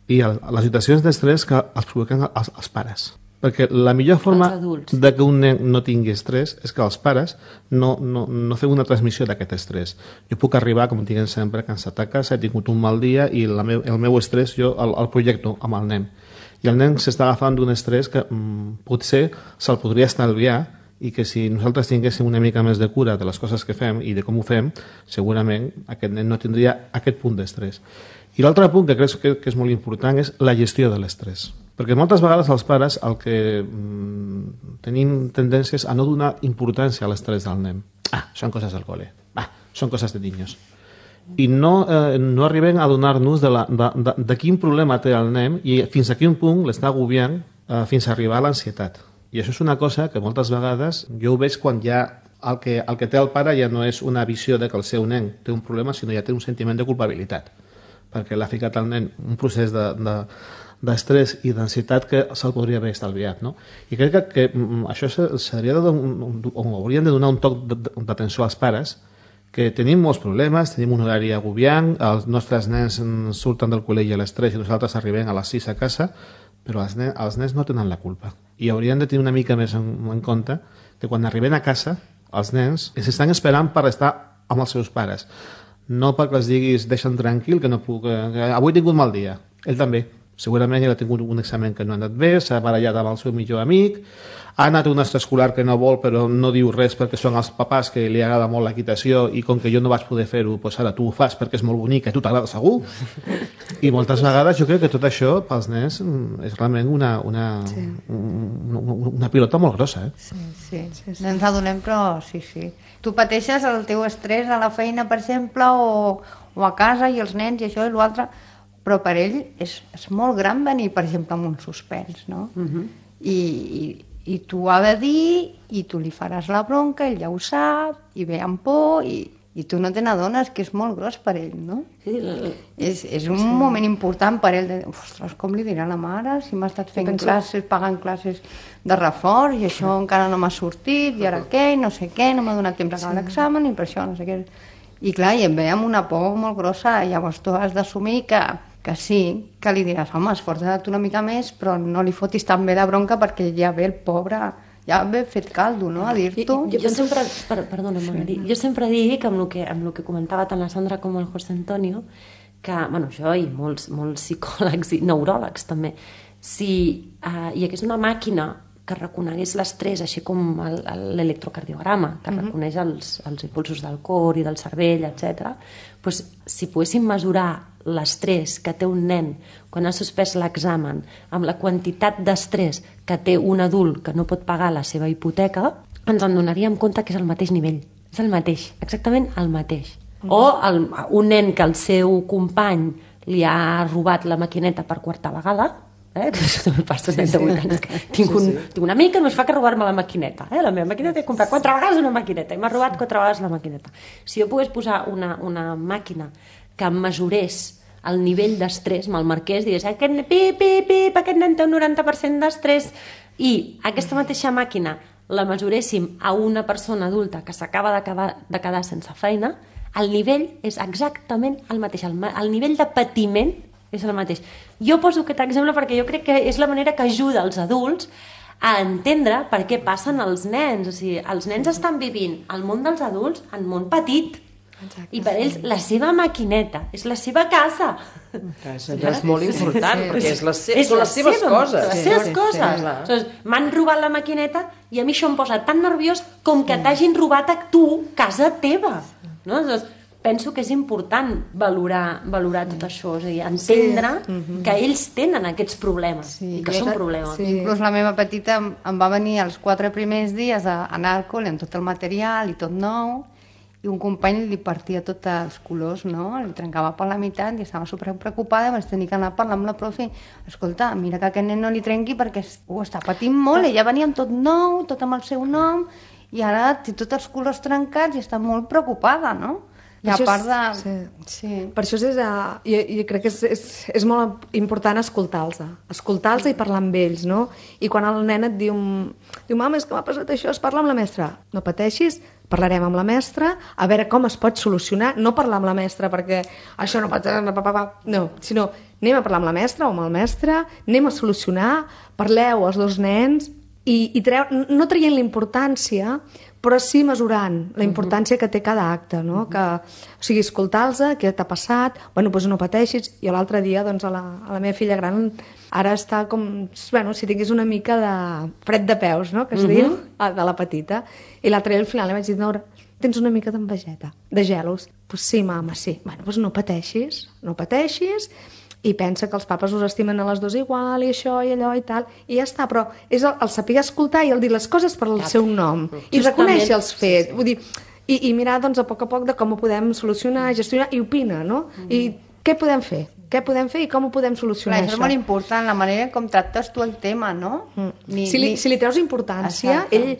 i les situacions d'estrès que els provoquen els pares. Perquè la millor forma de que un nen no tingui estrès és que els pares no feu una transmissió d'aquest estrès. Jo puc arribar, com diguem sempre, cansat a casa, he tingut un mal dia i el meu estrès jo el projecto amb el nen. I el nen s'està agafant d'un estrès que potser se'l podria estalviar, i que si nosaltres tinguéssim una mica més de cura de les coses que fem i de com ho fem, segurament aquest nen no tindria aquest punt d'estrès. I l'altre punt que crec que és molt important és la gestió de l'estrès. Perquè moltes vegades els pares el que tenim tendències a no donar importància a l'estrès del nen. Són coses del col·le. Són coses de niños. I no arribem a donar-nos de quin problema té el nen i fins a quin punt l'està agobiant fins a arribar a l'ansietat. I això és una cosa que moltes vegades jo ho veig quan ja el que té el pare ja no és una visió de que el seu nen té un problema, sinó ja té un sentiment de culpabilitat, perquè l'ha ficat al nen un procés d'estrès i d'ansietat que se'l podria haver estalviat, no? I crec que això hauríem de donar un toc d'atenció als pares, que tenim molts problemes, tenim un horari agobiant, els nostres nens surten del col·legi a les 3 i nosaltres arribem a les 6 a casa, però els nens no tenen la culpa. I haurien de tenir una mica més en compte que quan arriben a casa, els nens estan esperant per estar amb els seus pares. No perquè els diguis, deixa'm tranquil, que no puc... avui he tingut mal dia. Ell també. Segurament ell ha tingut un examen que no ha anat bé, s'ha barallat amb el seu millor amic, ha anat a un extraescolar que no vol però no diu res perquè són els papàs que li agrada molt l'equitació i com que jo no vaig poder fer-ho, doncs ara tu ho fas perquè és molt bonic i a tu t'agrada segur. I moltes vegades jo crec que tot això pels nens és realment una pilota molt grossa. Sí. No ens adonem, però sí. Tu pateixes el teu estrès a la feina, per exemple, o a casa i els nens i això i l'altre, però per ell és molt gran venir, per exemple, amb un suspens, no? I tu ha de dir, i tu li faràs la bronca, ell ja ho sap, i ve amb por, i tu no te n'adones, que és molt gros per ell, no? Sí. És un moment important per ell, ostres, com li dirà la mare, si m'ha estat fent classes, pagant classes de reforç, i això encara no m'ha sortit, i ara què, i no sé què, no m'ha donat temps a acabar l'examen, i per això no sé què... I clar, i em ve amb una por molt grossa, llavors tu has d'assumir que sí, que li diràs, home, esforça't una mica més, però no li fotis tan bé de bronca perquè ja ve el pobre, ja ve fet caldo, no?, a dir-t'ho. Jo sempre, perdona, Magali, jo sempre dic, amb el que comentava tant la Sandra com el José Antonio, que, bueno, jo i molts psicòlegs i neuròlegs també, si hi hagués una màquina que reconegués l'estrès, així com l'electrocardiograma, que reconeix els impulsos del cor i del cervell, etc. Doncs, si poguéssim mesurar l'estrès que té un nen quan ha suspès l'examen amb la quantitat d'estrès que té un adult que no pot pagar la seva hipoteca, ens en donaríem compte que és el mateix nivell. És el mateix, exactament el mateix. O un nen que el seu company li ha robat la maquineta per quarta vegada, que això també passa de 8 anys. Tinc una amic que no es fa que robar-me la maquineta. La meva maquineta he comprat 4 vegades una maquineta i m'ha robat 4 vegades la maquineta. Si jo pogués posar una màquina que em mesurés el nivell d'estrès, me'l marqués, digués, aquest nen té un 90% d'estrès, i aquesta mateixa màquina la mesuréssim a una persona adulta que s'acaba de quedar sense feina, el nivell és exactament el mateix. El nivell de patiment és el mateix. Jo poso aquest exemple perquè jo crec que és la manera que ajuda els adults a entendre per què passen els nens. O sigui, els nens estan vivint el món dels adults en món petit. Exacte, I per ells la seva maquineta és la seva casa. Això és molt important, perquè són les seves coses. Les seves coses. M'han robat la maquineta i a mi això em posa tan nerviós com que t'hagin robat a tu casa teva. No? Llavors, penso que és important valorar tot això, és a dir, entendre que ells tenen aquests problemes i que són problemes. Inclús la meva petita em va venir els 4 primers dies a anar al col·le amb tot el material i tot nou, i un company li partia tots els colors, no? Li trencava per la meitat i estava superpreocupada, vaig tenir que anar a parlar amb la profe. Escolta, mira que aquest nen no li trenqui perquè ho està patint molt, ella venia amb tot nou, tot amb el seu nom, i ara té tots els colors trencats i està molt preocupada, no? I a part de... Per això jo crec que és molt important escoltar-los i parlar amb ells, no? I quan el nen et diu mama, és que m'ha passat això, es parla amb la mestra. No pateixis, parlarem amb la mestra, a veure com es pot solucionar, no parlar amb la mestra perquè això no pot... No, sinó anem a parlar amb la mestra o amb el mestre, anem a solucionar, parleu els dos nens i no traient la importància, però sí mesurant la importància que té cada acte, no? O sigui, escoltar-los, què t'ha passat, bueno, doncs no pateixis. I l'altre dia, doncs, a la meva filla gran ara està com, bueno, si tingués una mica de fred de peus, no?, que es diu, de la petita. I l'altre dia al final li vaig dir, Nora, tens una mica d'envejeta, de gelos. Doncs sí, mama, sí. Bueno, doncs no pateixis, i pensa que els papes us estimen a les dues igual, i això, i allò, i tal, i ja està, però és el saber escoltar i el dir les coses per el seu nom, i reconèixer els fets, vull dir, i mirar, doncs, a poc de com ho podem solucionar, gestionar, i opina, no? I què podem fer? Què podem fer i com ho podem solucionar, això? Això és molt important, la manera com tractes tu el tema, no? Si li treus importància, ell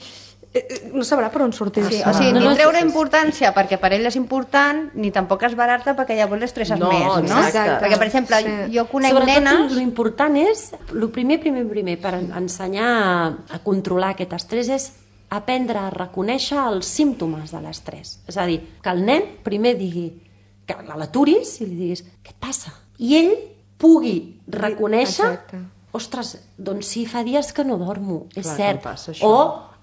no sabrà per on sortir. Sí, o sigui, ni treure importància perquè per ell és important, ni tampoc esbarar-te perquè llavors l'estresses més, no? Exacte. Perquè, per exemple, jo conec nenes... Sobretot l'important és, el primer, per ensenyar a controlar aquest estrès és aprendre a reconèixer els símptomes de l'estrès. És a dir, que el nen primer digui, que l'aturis i li diguis, què et passa? I ell pugui reconèixer, ostres, doncs sí, fa dies que no dormo, és cert, o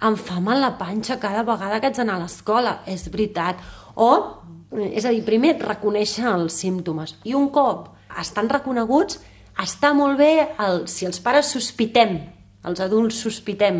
em fa mal la panxa cada vegada que haig d'anar a l'escola, és veritat. O, és a dir, primer reconèixer els símptomes. I un cop estan reconeguts, està molt bé si els pares sospitem, els adults sospitem,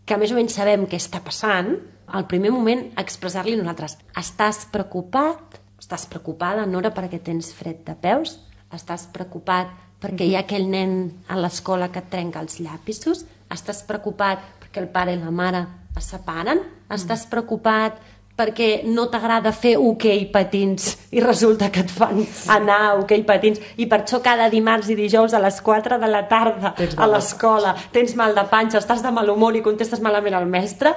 que més o menys sabem què està passant, al primer moment expressar-li a nosaltres, estàs preocupat, estàs preocupada, Nora, perquè tens fred de peus, estàs preocupat perquè hi ha aquell nen a l'escola que et trenca els llapisos, estàs preocupat perquè el pare i la mare es separen, estàs preocupat perquè no t'agrada fer hoquei patins i resulta que et fan anar a hoquei patins i per això cada dimarts i dijous a les 4 de la tarda a l'escola tens mal de panxa, estàs de mal humor i contestes malament al mestre,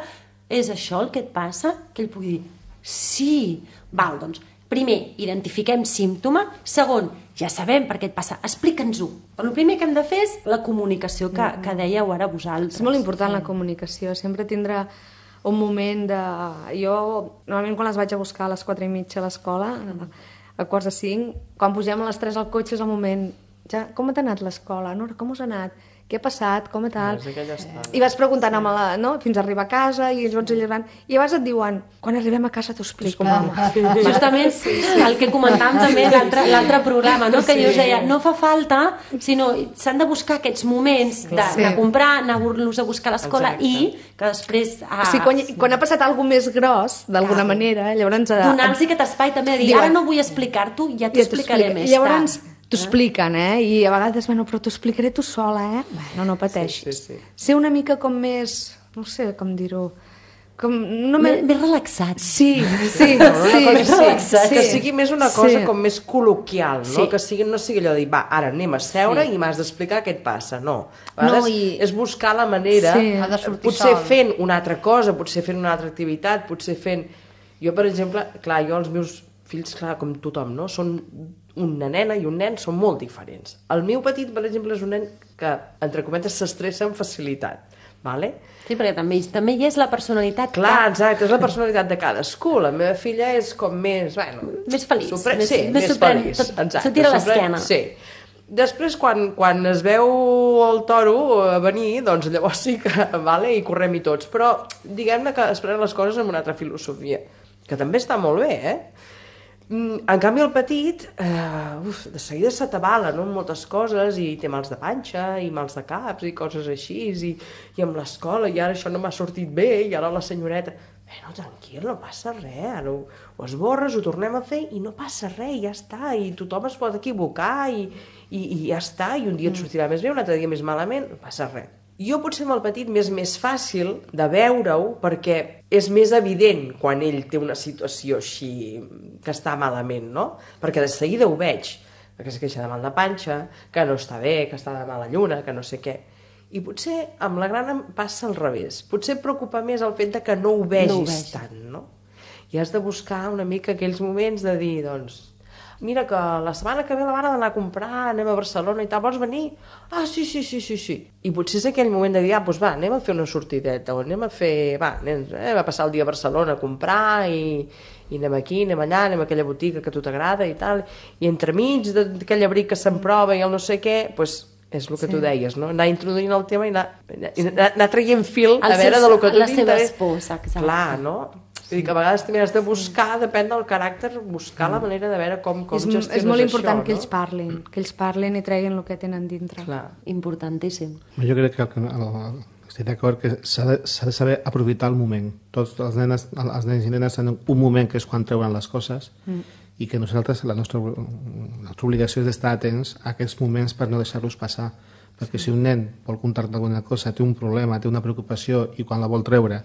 és això el que et passa? Que ell pugui dir, sí, val, doncs, primer, identifiquem símptoma, segon, ja sabem per què et passa, explica'ns-ho. Però el primer que hem de fer és la comunicació que dèieu ara vosaltres. És molt important la comunicació, sempre tindrà un moment de... Jo, normalment quan les vaig a buscar a les 4:30 a l'escola, a 4:45, quan pugem a les 3 al cotxe és el moment, ja, com t'ha anat l'escola? Nora, com us ha anat? Què ha passat? Com i tal? I vas preguntant no? Fins a arribar a casa i ells van... I llavors et diuen, quan arribem a casa t'ho explico, mama. Justament el que comentàvem també l'altre programa, no? Que jo us deia, no fa falta, sinó s'han de buscar aquests moments de comprar, anar-los a buscar a l'escola i que després... O sigui, quan ha passat alguna més gros, d'alguna manera, llavors... Donar-los aquest espai també de dir, ara no vull explicar-t'ho, ja t'ho explicaré més tard. Llavors t'ho expliquen, i a vegades, bueno, però t'ho explicaré tu sola, Bueno, no pateixis. Ser una mica com més, no sé com dir-ho, més relaxat. Sí. Que sigui més una cosa com més col·loquial, no? Que no sigui allò de dir, va, ara anem a seure i m'has d'explicar què et passa, no. A vegades és buscar la manera, potser fent una altra cosa, potser fent una altra activitat, potser fent... Jo, per exemple, clar, jo els meus fills, clar, com tothom, no? Són una nena i un nen, són molt diferents. El meu petit, per exemple, és un nen que, entre cometes, s'estressa amb facilitat, vale? Sí, perquè també hi és la personalitat. Clar, exacte, és la personalitat de cadascú. La meva filla és com més... Bueno, més feliç. Més feliç. Se tira a l'esquena. Sí. Després, quan es veu el toro venir, doncs llavors sí que, vale, i correm i tots. Però, diguem-ne que es prenen les coses amb una altra filosofia, que també està molt bé, En canvi, el petit, de seguida s'atabala, no?, amb moltes coses, i té mals de panxa, i mals de caps, i coses així, i amb l'escola, i ara això no m'ha sortit bé, i ara la senyoreta... No, tranquil, no passa res, ara ho esborres, ho tornem a fer, i no passa res, ja està, i tothom es pot equivocar, i ja està, i un dia et sortirà més bé, un altre dia més malament, no passa res. Jo potser amb el petit m'és més fàcil de veure-ho perquè és més evident quan ell té una situació així que està malament, no? Perquè de seguida ho veig, perquè es queixa de mal de panxa, que no està bé, que està de mala lluna, que no sé què. I potser amb la gran em passa al revés. Potser et preocupa més el fet de que no ho vegis tant, no? I has de buscar una mica aquells moments de dir, doncs, mira que la setmana que ve la mare d'anar a comprar, anem a Barcelona i tal, vols venir? Ah, sí. I potser és aquell moment de dir, doncs va, anem a fer una sortideta, o anem a fer, anem a passar el dia a Barcelona a comprar i anem aquí, anem allà, anem a aquella botiga que a tu t'agrada i tal, i entremig d'aquell abric que se'n prova i el no sé què, doncs és el que tu deies, no? Anar introduint el tema i anar traient fil a veure del que tu t'interessa. Les seves pors, exacte. Clar, no? Vull dir que a vegades també has de buscar, depèn del caràcter, buscar la manera de veure com gestiones això. És molt important que ells parlin i treguin el que tenen dintre. Clar. Importantíssim. Jo crec que estic d'acord que s'ha de saber aprofitar el moment. Tots els nens i nenes tenen un moment que és quan treuen les coses i que nosaltres, la nostra obligació és d'estar atents a aquests moments per no deixar-los passar. Perquè si un nen vol contar-te alguna cosa, té un problema, té una preocupació i quan la vol treure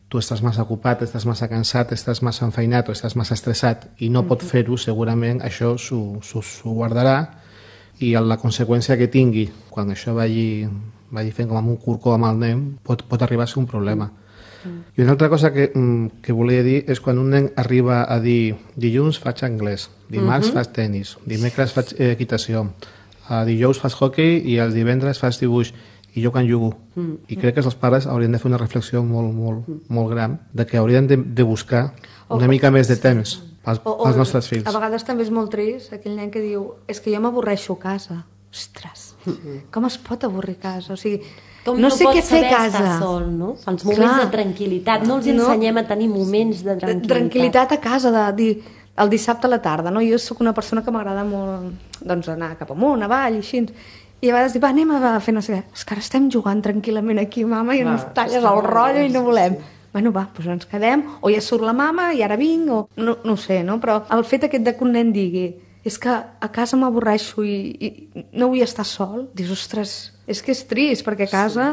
tu estàs massa ocupat, estàs massa cansat, estàs massa enfeinat o estàs massa estressat i no pot fer-ho, segurament això s'ho guardarà i la conseqüència que tingui quan això vagi fent com un corcó amb el nen pot arribar a ser un problema. I una altra cosa que volia dir és quan un nen arriba a dir dilluns faig anglès, dimarts faig tenis, dimecres faig equitació, dijous faig hockey i els divendres faig dibuix i jo quan jugo. I crec que els pares haurien de fer una reflexió molt gran de que haurien de buscar una mica més de temps pels nostres fills. A vegades també és molt trist aquell nen que diu és que jo m'avorreixo a casa. Ostres, com es pot avorrir a casa? O sigui, com no sé què fer a casa. Estar sol, no? Els moments de tranquil·litat. No els ensenyem a tenir moments de tranquil·litat. Tranquil·litat a casa, de dir el dissabte a la tarda. No? Jo sóc una persona que m'agrada molt doncs, anar cap amunt, avall, i així. I a vegades dic, anem a fer no sé què. És que ara estem jugant tranquil·lament aquí, mama, i ens talles el rotllo i no volem. Bueno, doncs ens quedem, o ja surt la mama i ara vinc, o no sé, no? Però el fet aquest de que un nen digui és que a casa m'avorreixo i no vull estar sol, dius, ostres, és que és trist, perquè a casa,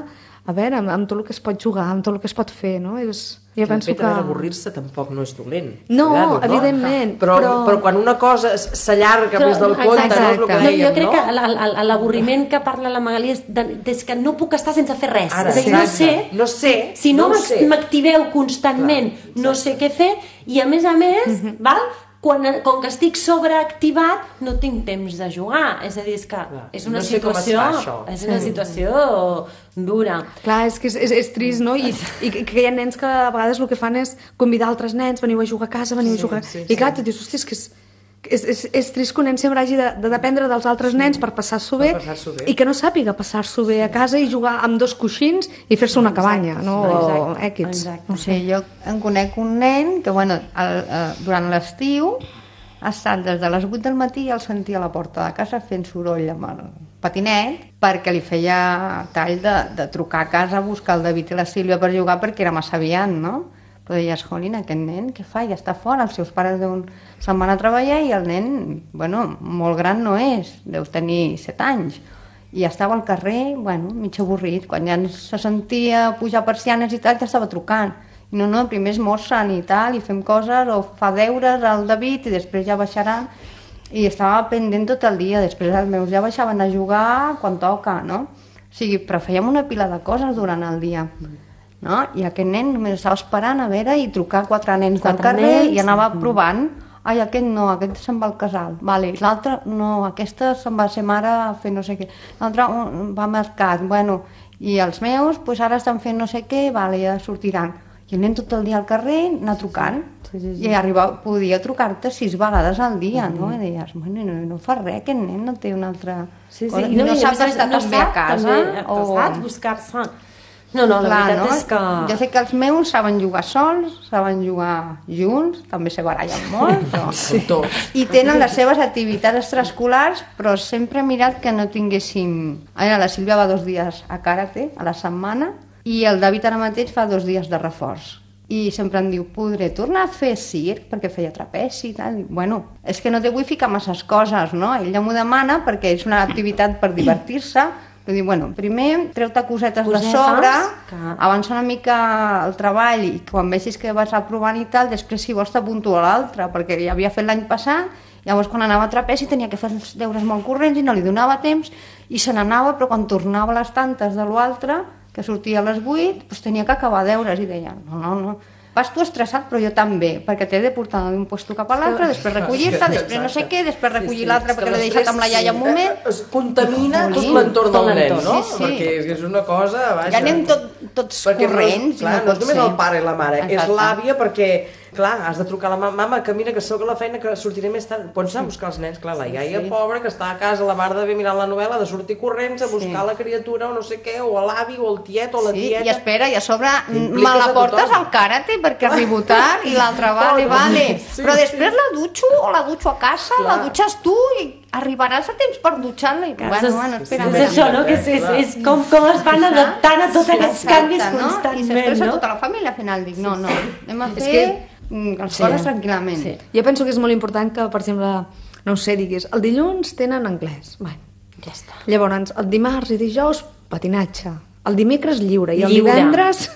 a veure, amb tot el que es pot jugar, amb tot el que es pot fer, no? Jo penso que... avorrir-se tampoc no és dolent. No, evidentment. Però quan una cosa s'allarga més del compte, no és el que dèiem, no? Jo crec que l'avorriment que parla la Magalí és que no puc estar sense fer res. Ara, és a dir, no sé. Si no m'activeu constantment, no sé què fer, i a més, val? Com que estic sobreactivat, no tinc temps de jugar. És a dir, és que és una situació dura. Clar, és que és trist, no? I que hi ha nens que a vegades el que fan és convidar altres nens, veniu a jugar a casa, veniu a jugar... I clar, tu dius, hòstia, és que és trist que un nen sempre hagi de dependre dels altres nens per passar-s'ho bé i que no sàpiga passar-s'ho bé a casa i jugar amb 2 coixins i fer-se una cabanya, no? O èquids. No sé, jo en conec un nen que, bueno, durant l'estiu ha estat des de les 8 del matí i el sentia a la porta de casa fent soroll amb el patinet perquè li feia tall de trucar a casa a buscar el David i la Sílvia per jugar perquè era massa aviat, no? Però deies, jolín, aquest nen, què fa? Ja està fora, els seus pares se'n van a treballar i el nen, bueno, molt gran no és, deu tenir 7 anys. I estava al carrer, bueno, mig avorrit. Quan ja se sentia pujar persianes i tal, ja estava trucant. I no, primer esmorzen i tal, i fem coses, o fa deures al David i després ja baixaran. I estava pendent tot el dia, després els meus ja baixaven a jugar quan toca, no? O sigui, però fèiem una pila de coses durant el dia. No? I aquest nen només estava esperant a veure i trucar 4 nens del carrer i anava provant. Ai, aquest no, aquest se'n va al casal. Vale. L'altre no, aquesta se'n va ser mare a fer no sé què. L'altre va al mercat. Bueno, i els meus pues, ara estan fent no sé què, vale, ja sortiran. I el nen tot el dia al carrer anar trucant. Sí. I podia trucar-te 6 vegades al dia, no? I deies, bueno, no fa res, aquest nen no té una altra cosa. I no sap estar també a casa. O buscar-se No, la veritat és que... Jo sé que els meus saben jugar sols, saben jugar junts, també se barallen molt, però... Sí. I tenen les seves activitats extraescolars, però sempre he mirat que no tinguéssim... Ara, la Sílvia va 2 dies a karate a la setmana i el David ara mateix fa 2 dies de reforç. I sempre em diu, podré tornar a fer circ, perquè feia trapeci i tal. I, bueno, és que no te vull ficar masses coses, no? Ella m'ho demana perquè és una activitat per divertir-se. Però diu, bueno, primer treu-te cosetes de sobre, avança una mica el treball i quan vegis que vas aprovant i tal, després si vols t'apunto a l'altre, perquè ja havia fet l'any passat, llavors quan anava a trapeci tenia que fer els deures molt corrents i no li donava temps i se n'anava, però quan tornava a les tantes de l'altre, que sortia a les 8, doncs tenia que acabar deures i deia, no, vas tu estressat, però jo també, perquè t'he de portar d'un puesto cap a l'altre, després recollir-te, després no sé què, després recollir l'altre perquè l'he deixat amb la iaia un moment. Es contamina tot l'entorn del nen, no? Perquè és una cosa... Ja anem tots corrents. Clar, no és només el pare i la mare, és l'àvia perquè... Clar, has de trucar a la mama, que mira, que soc a la feina, que sortiré més tard. Pots anar a buscar els nens, clar, la iaia pobra, que està a casa, la mare d'haver mirant la novel·la, de sortir corrents a buscar la criatura o no sé què, o l'avi, o el tiet, o la tieta... I espera, i a sobre me la portes al karate perquè arribo tard i l'altre vale. Però després la dutxo o la dutxo a casa, la dutxes tu i arribaràs a temps per dutxar-la. Bueno, espera. És això, no? Que és com es van adaptant a tots aquests canvis constantment, no? I s'expressa tota la família, al final dic, no, anem a fer... les coses tranquil·lament. Sí. Jo penso que és molt important que, per exemple, no ho sé, diguis, el dilluns tenen anglès. Bueno, ja està. Llavors, el dimarts i dijous, patinatge. El dimecres lliure. I el divendres,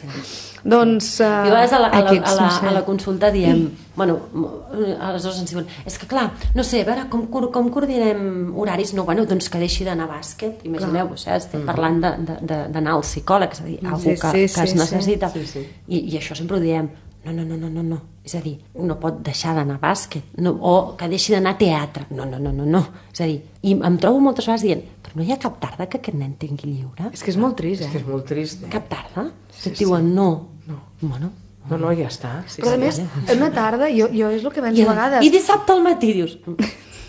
doncs... I a vegades a la consulta diem, bueno, aleshores ens diuen, és que clar, no sé, a veure, com coordinem horaris? No, bueno, doncs que deixi d'anar a bàsquet. Imagineu-vos, estem parlant d'anar al psicòleg, és a dir, algú que es necessita. I això sempre ho diem. No. És a dir, no pot deixar d'anar a bàsquet, o que deixi d'anar a teatre. No. És a dir, i em trobo moltes vegades dient, però no hi ha cap tarda que aquest nen tingui lliure? És que és molt trist, És que és molt trist. Cap tarda? Et diuen no. Bueno, no, ja està. Però a més, una tarda, jo és el que penso a vegades... I dissabte al matí dius...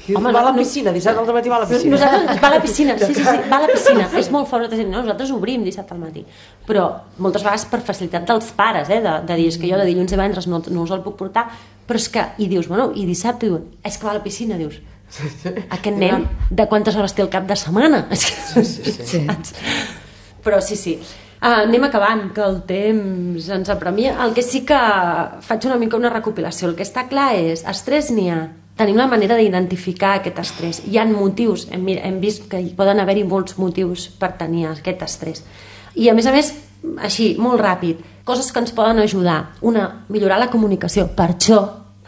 Home, va a la piscina, dissabte al matí va a la piscina. Nosaltres va a la piscina, sí, va a la piscina. És molt fort, nosaltres obrim dissabte al matí. Però moltes vegades per facilitat dels pares, de dir, és que jo de dilluns i divendres no us el puc portar, però és que, i dius, bueno, i dissabte diuen, és que va a la piscina, dius, aquest nen, de quantes hores té el cap de setmana? Sí. Però sí. Anem acabant, que el temps ens apremia. El que sí que faig una mica una recopilació. El que està clar és, estrès n'hi ha. Tenim la manera d'identificar aquest estrès. Hi ha motius, hem vist que hi poden haver-hi molts motius per tenir aquest estrès. I a més, així, molt ràpid, coses que ens poden ajudar. Una, millorar la comunicació. Per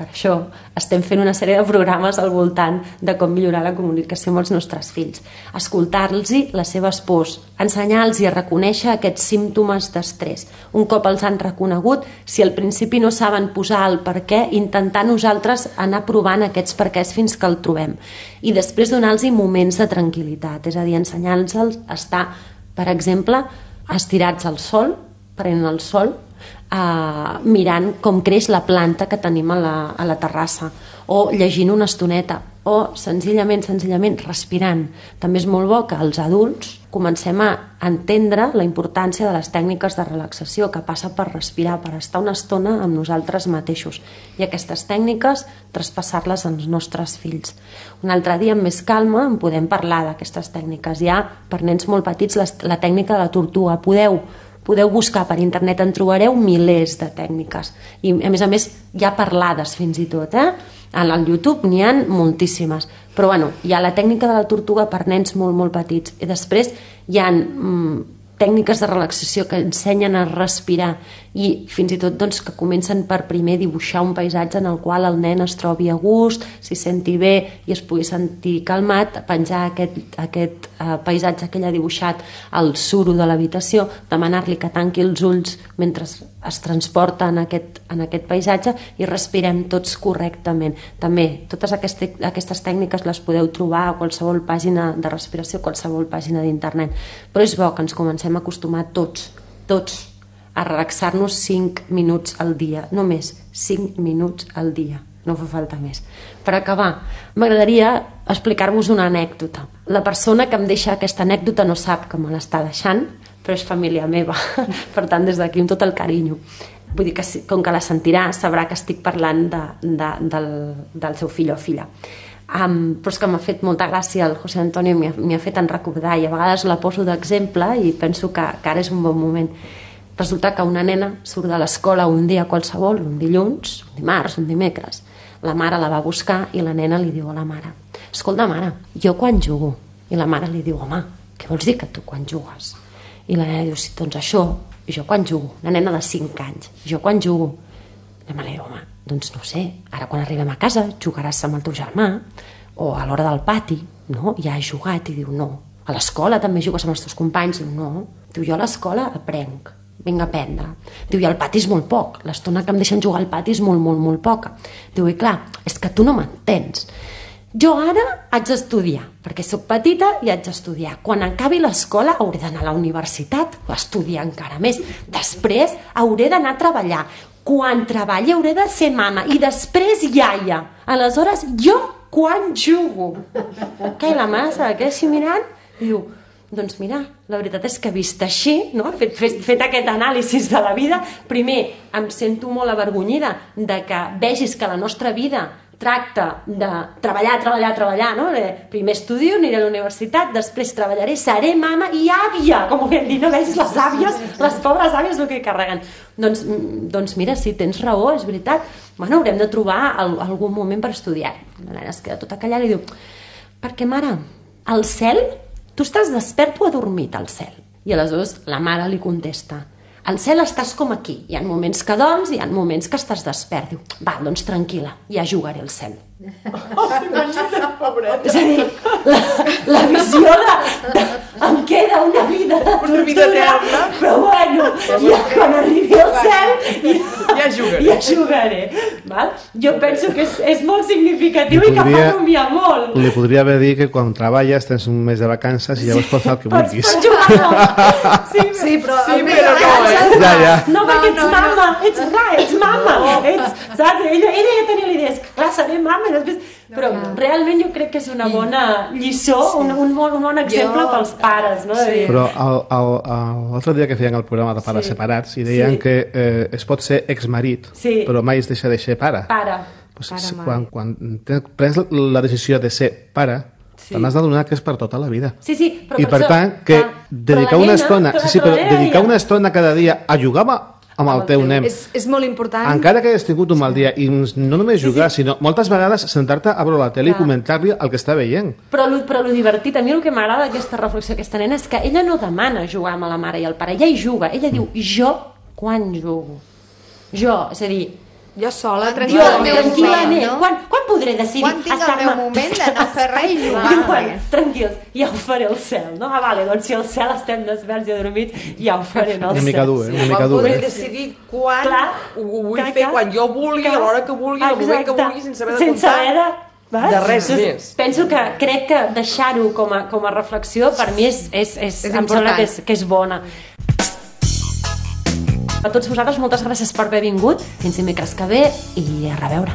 això estem fent una sèrie de programes al voltant de com millorar la comunicació amb els nostres fills. Escoltar-los les seves pors, ensenyar-los a reconèixer aquests símptomes d'estrès. Un cop els han reconegut, si al principi no saben posar el per què, intentar nosaltres anar provant aquests perquès fins que el trobem. I després donar-los moments de tranquil·litat, és a dir, ensenyar-los a estar, per exemple, estirats al sol, prenent el sol, mirant com creix la planta que tenim a la terrassa, o llegint una estoneta, o senzillament respirant. També és molt bo que els adults comencem a entendre la importància de les tècniques de relaxació, que passa per respirar, per estar una estona amb nosaltres mateixos, i aquestes tècniques traspassar-les als nostres fills. Un altre dia, amb més calma, en podem parlar d'aquestes tècniques. Hi ha, per nens molt petits, la tècnica de la tortuga. Podeu buscar per internet, en trobareu milers de tècniques. I a més hi ha parlades fins i tot, al YouTube n'hi ha moltíssimes. Però bueno, hi ha la tècnica de la tortuga per nens molt, molt petits. I després hi ha tècniques de relaxació que ensenyen a respirar i fins i tot doncs, que comencen per primer dibuixar un paisatge en el qual el nen es trobi a gust, s'hi senti bé i es pugui sentir calmat, penjar aquest paisatge que ell ha dibuixat al suro de l'habitació, demanar-li que tanqui els ulls mentre es transporta en aquest paisatge i respirem tots correctament. També totes aquestes tècniques les podeu trobar a qualsevol pàgina de respiració, a qualsevol pàgina d'internet. Però és bo que ens comencem a acostumar tots a relaxar-nos 5 minuts al dia, només 5 minuts al dia, no fa falta més. Per acabar, m'agradaria explicar-vos una anècdota. La persona que em deixa aquesta anècdota no sap que me l'està deixant, però és família meva. Per tant, des d'aquí, amb tot el carinyo. Vull dir que, com que la sentirà, sabrà que estic parlant del seu fill o filla. Però és que m'ha fet molta gràcia, el José Antonio m'hi ha fet en recordar, i a vegades la poso d'exemple i penso que ara és un bon moment. Resulta que una nena surt de l'escola un dia qualsevol, un dilluns, un dimarts, un dimecres. La mare la va buscar i la nena li diu a la mare: escolta, mare, jo quan jugo? I la mare li diu: home, què vols dir que tu quan jugues? I la nena diu: sí, doncs això, jo quan jugo. Una nena de 5 anys, jo quan jugo. La mare diu: home, doncs no sé, ara quan arribem a casa jugaràs amb el teu germà, o a l'hora del pati, no? Ja has jugat. I diu: no. A l'escola també jugues amb els teus companys? Diu: no. Diu: jo a l'escola aprenc, vinc a aprendre. Diu: i al pati és molt poc, l'estona que em deixen jugar al pati és molt, molt, molt poca. Diu: i clar, és que tu no m'entens. Jo ara haig d'estudiar, perquè sóc petita i haig d'estudiar. Quan acabi l'escola hauré d'anar a la universitat o estudiar encara més. Després hauré d'anar a treballar. Quan treballi hauré de ser mama i després iaia. Aleshores, jo quan jugo? Que la mare se la queda així mirant i diu: doncs mira, la veritat és que vist així, no? fet aquest anàlisi de la vida, primer em sento molt avergonyida de que vegis que la nostra vida tracta de treballar, no? Primer estudio, aniré a la universitat, després treballaré, seré mama i àvia, com ho hem dit, no vegis les àvies, les pobres àvies el que carreguen. Doncs mira, sí, tens raó, és veritat. Bueno, haurem de trobar algun moment per estudiar. La nena es queda tota callada i diu: perquè, mare, al cel, tu estàs despert o adormit al cel? I aleshores la mare li contesta: al cel estàs com aquí, hi ha moments que dorms i hi ha moments que estàs despert. Diu: va, doncs tranquil·la, ja jugaré al cel. És a dir, la visió em queda una vida de tortura, però bueno, ja quan arribi al cel ja jugaré. Val? Jo penso que és molt significatiu i que fa rumiar molt. Li podria haver dit que quan treballes tens un mes de vacances i llavors pots fer el que vulguis. Pots jugar, no? Sí, però no, perquè ets mama, ets mama. Saps? Ella ja tenia l'idea, és que clar, seré mama i després... Però realment jo crec que és una bona lliçó, un bon exemple pels pares, no? Sí. Però l'altre dia que feien el programa de pares separats i deien que es pot ser exmarit, però mai es deixa de ser pare. Quan prens la decisió de ser pare, te n'has d'adonar que és per tota la vida. I per tant, que dedicar una estona cada dia a jugar amb el teu nen. És molt important. Encara que hagis tingut un mal dia, i no només jugar, sinó moltes vegades sentar-te a veure la tele i comentar-li el que està veient. Però lo divertit, a mi el que m'agrada d'aquesta reflexió d'aquesta nena és que ella no demana jugar amb la mare i el pare, ella hi juga, ella diu: jo quan jugo? Jo, és a dir, jo sola, tranquil·lament. Quan podré decidir? Quan tinc el meu moment de no fer res i jugar? Tranquils, ja ho faré al cel, no? Vale, doncs si al cel estem desperts i adormits, ja ho faré al cel. Una mica dur, Quan podré decidir quan ho vull fer, quan jo vulgui, a l'hora que vulgui, al moment que vulgui, sense haver de comptar de res més. Penso que crec que deixar-ho com a reflexió per mi em sembla que és bona. A tots vosaltres moltes gràcies per haver vingut, fins dimecres que ve i a reveure.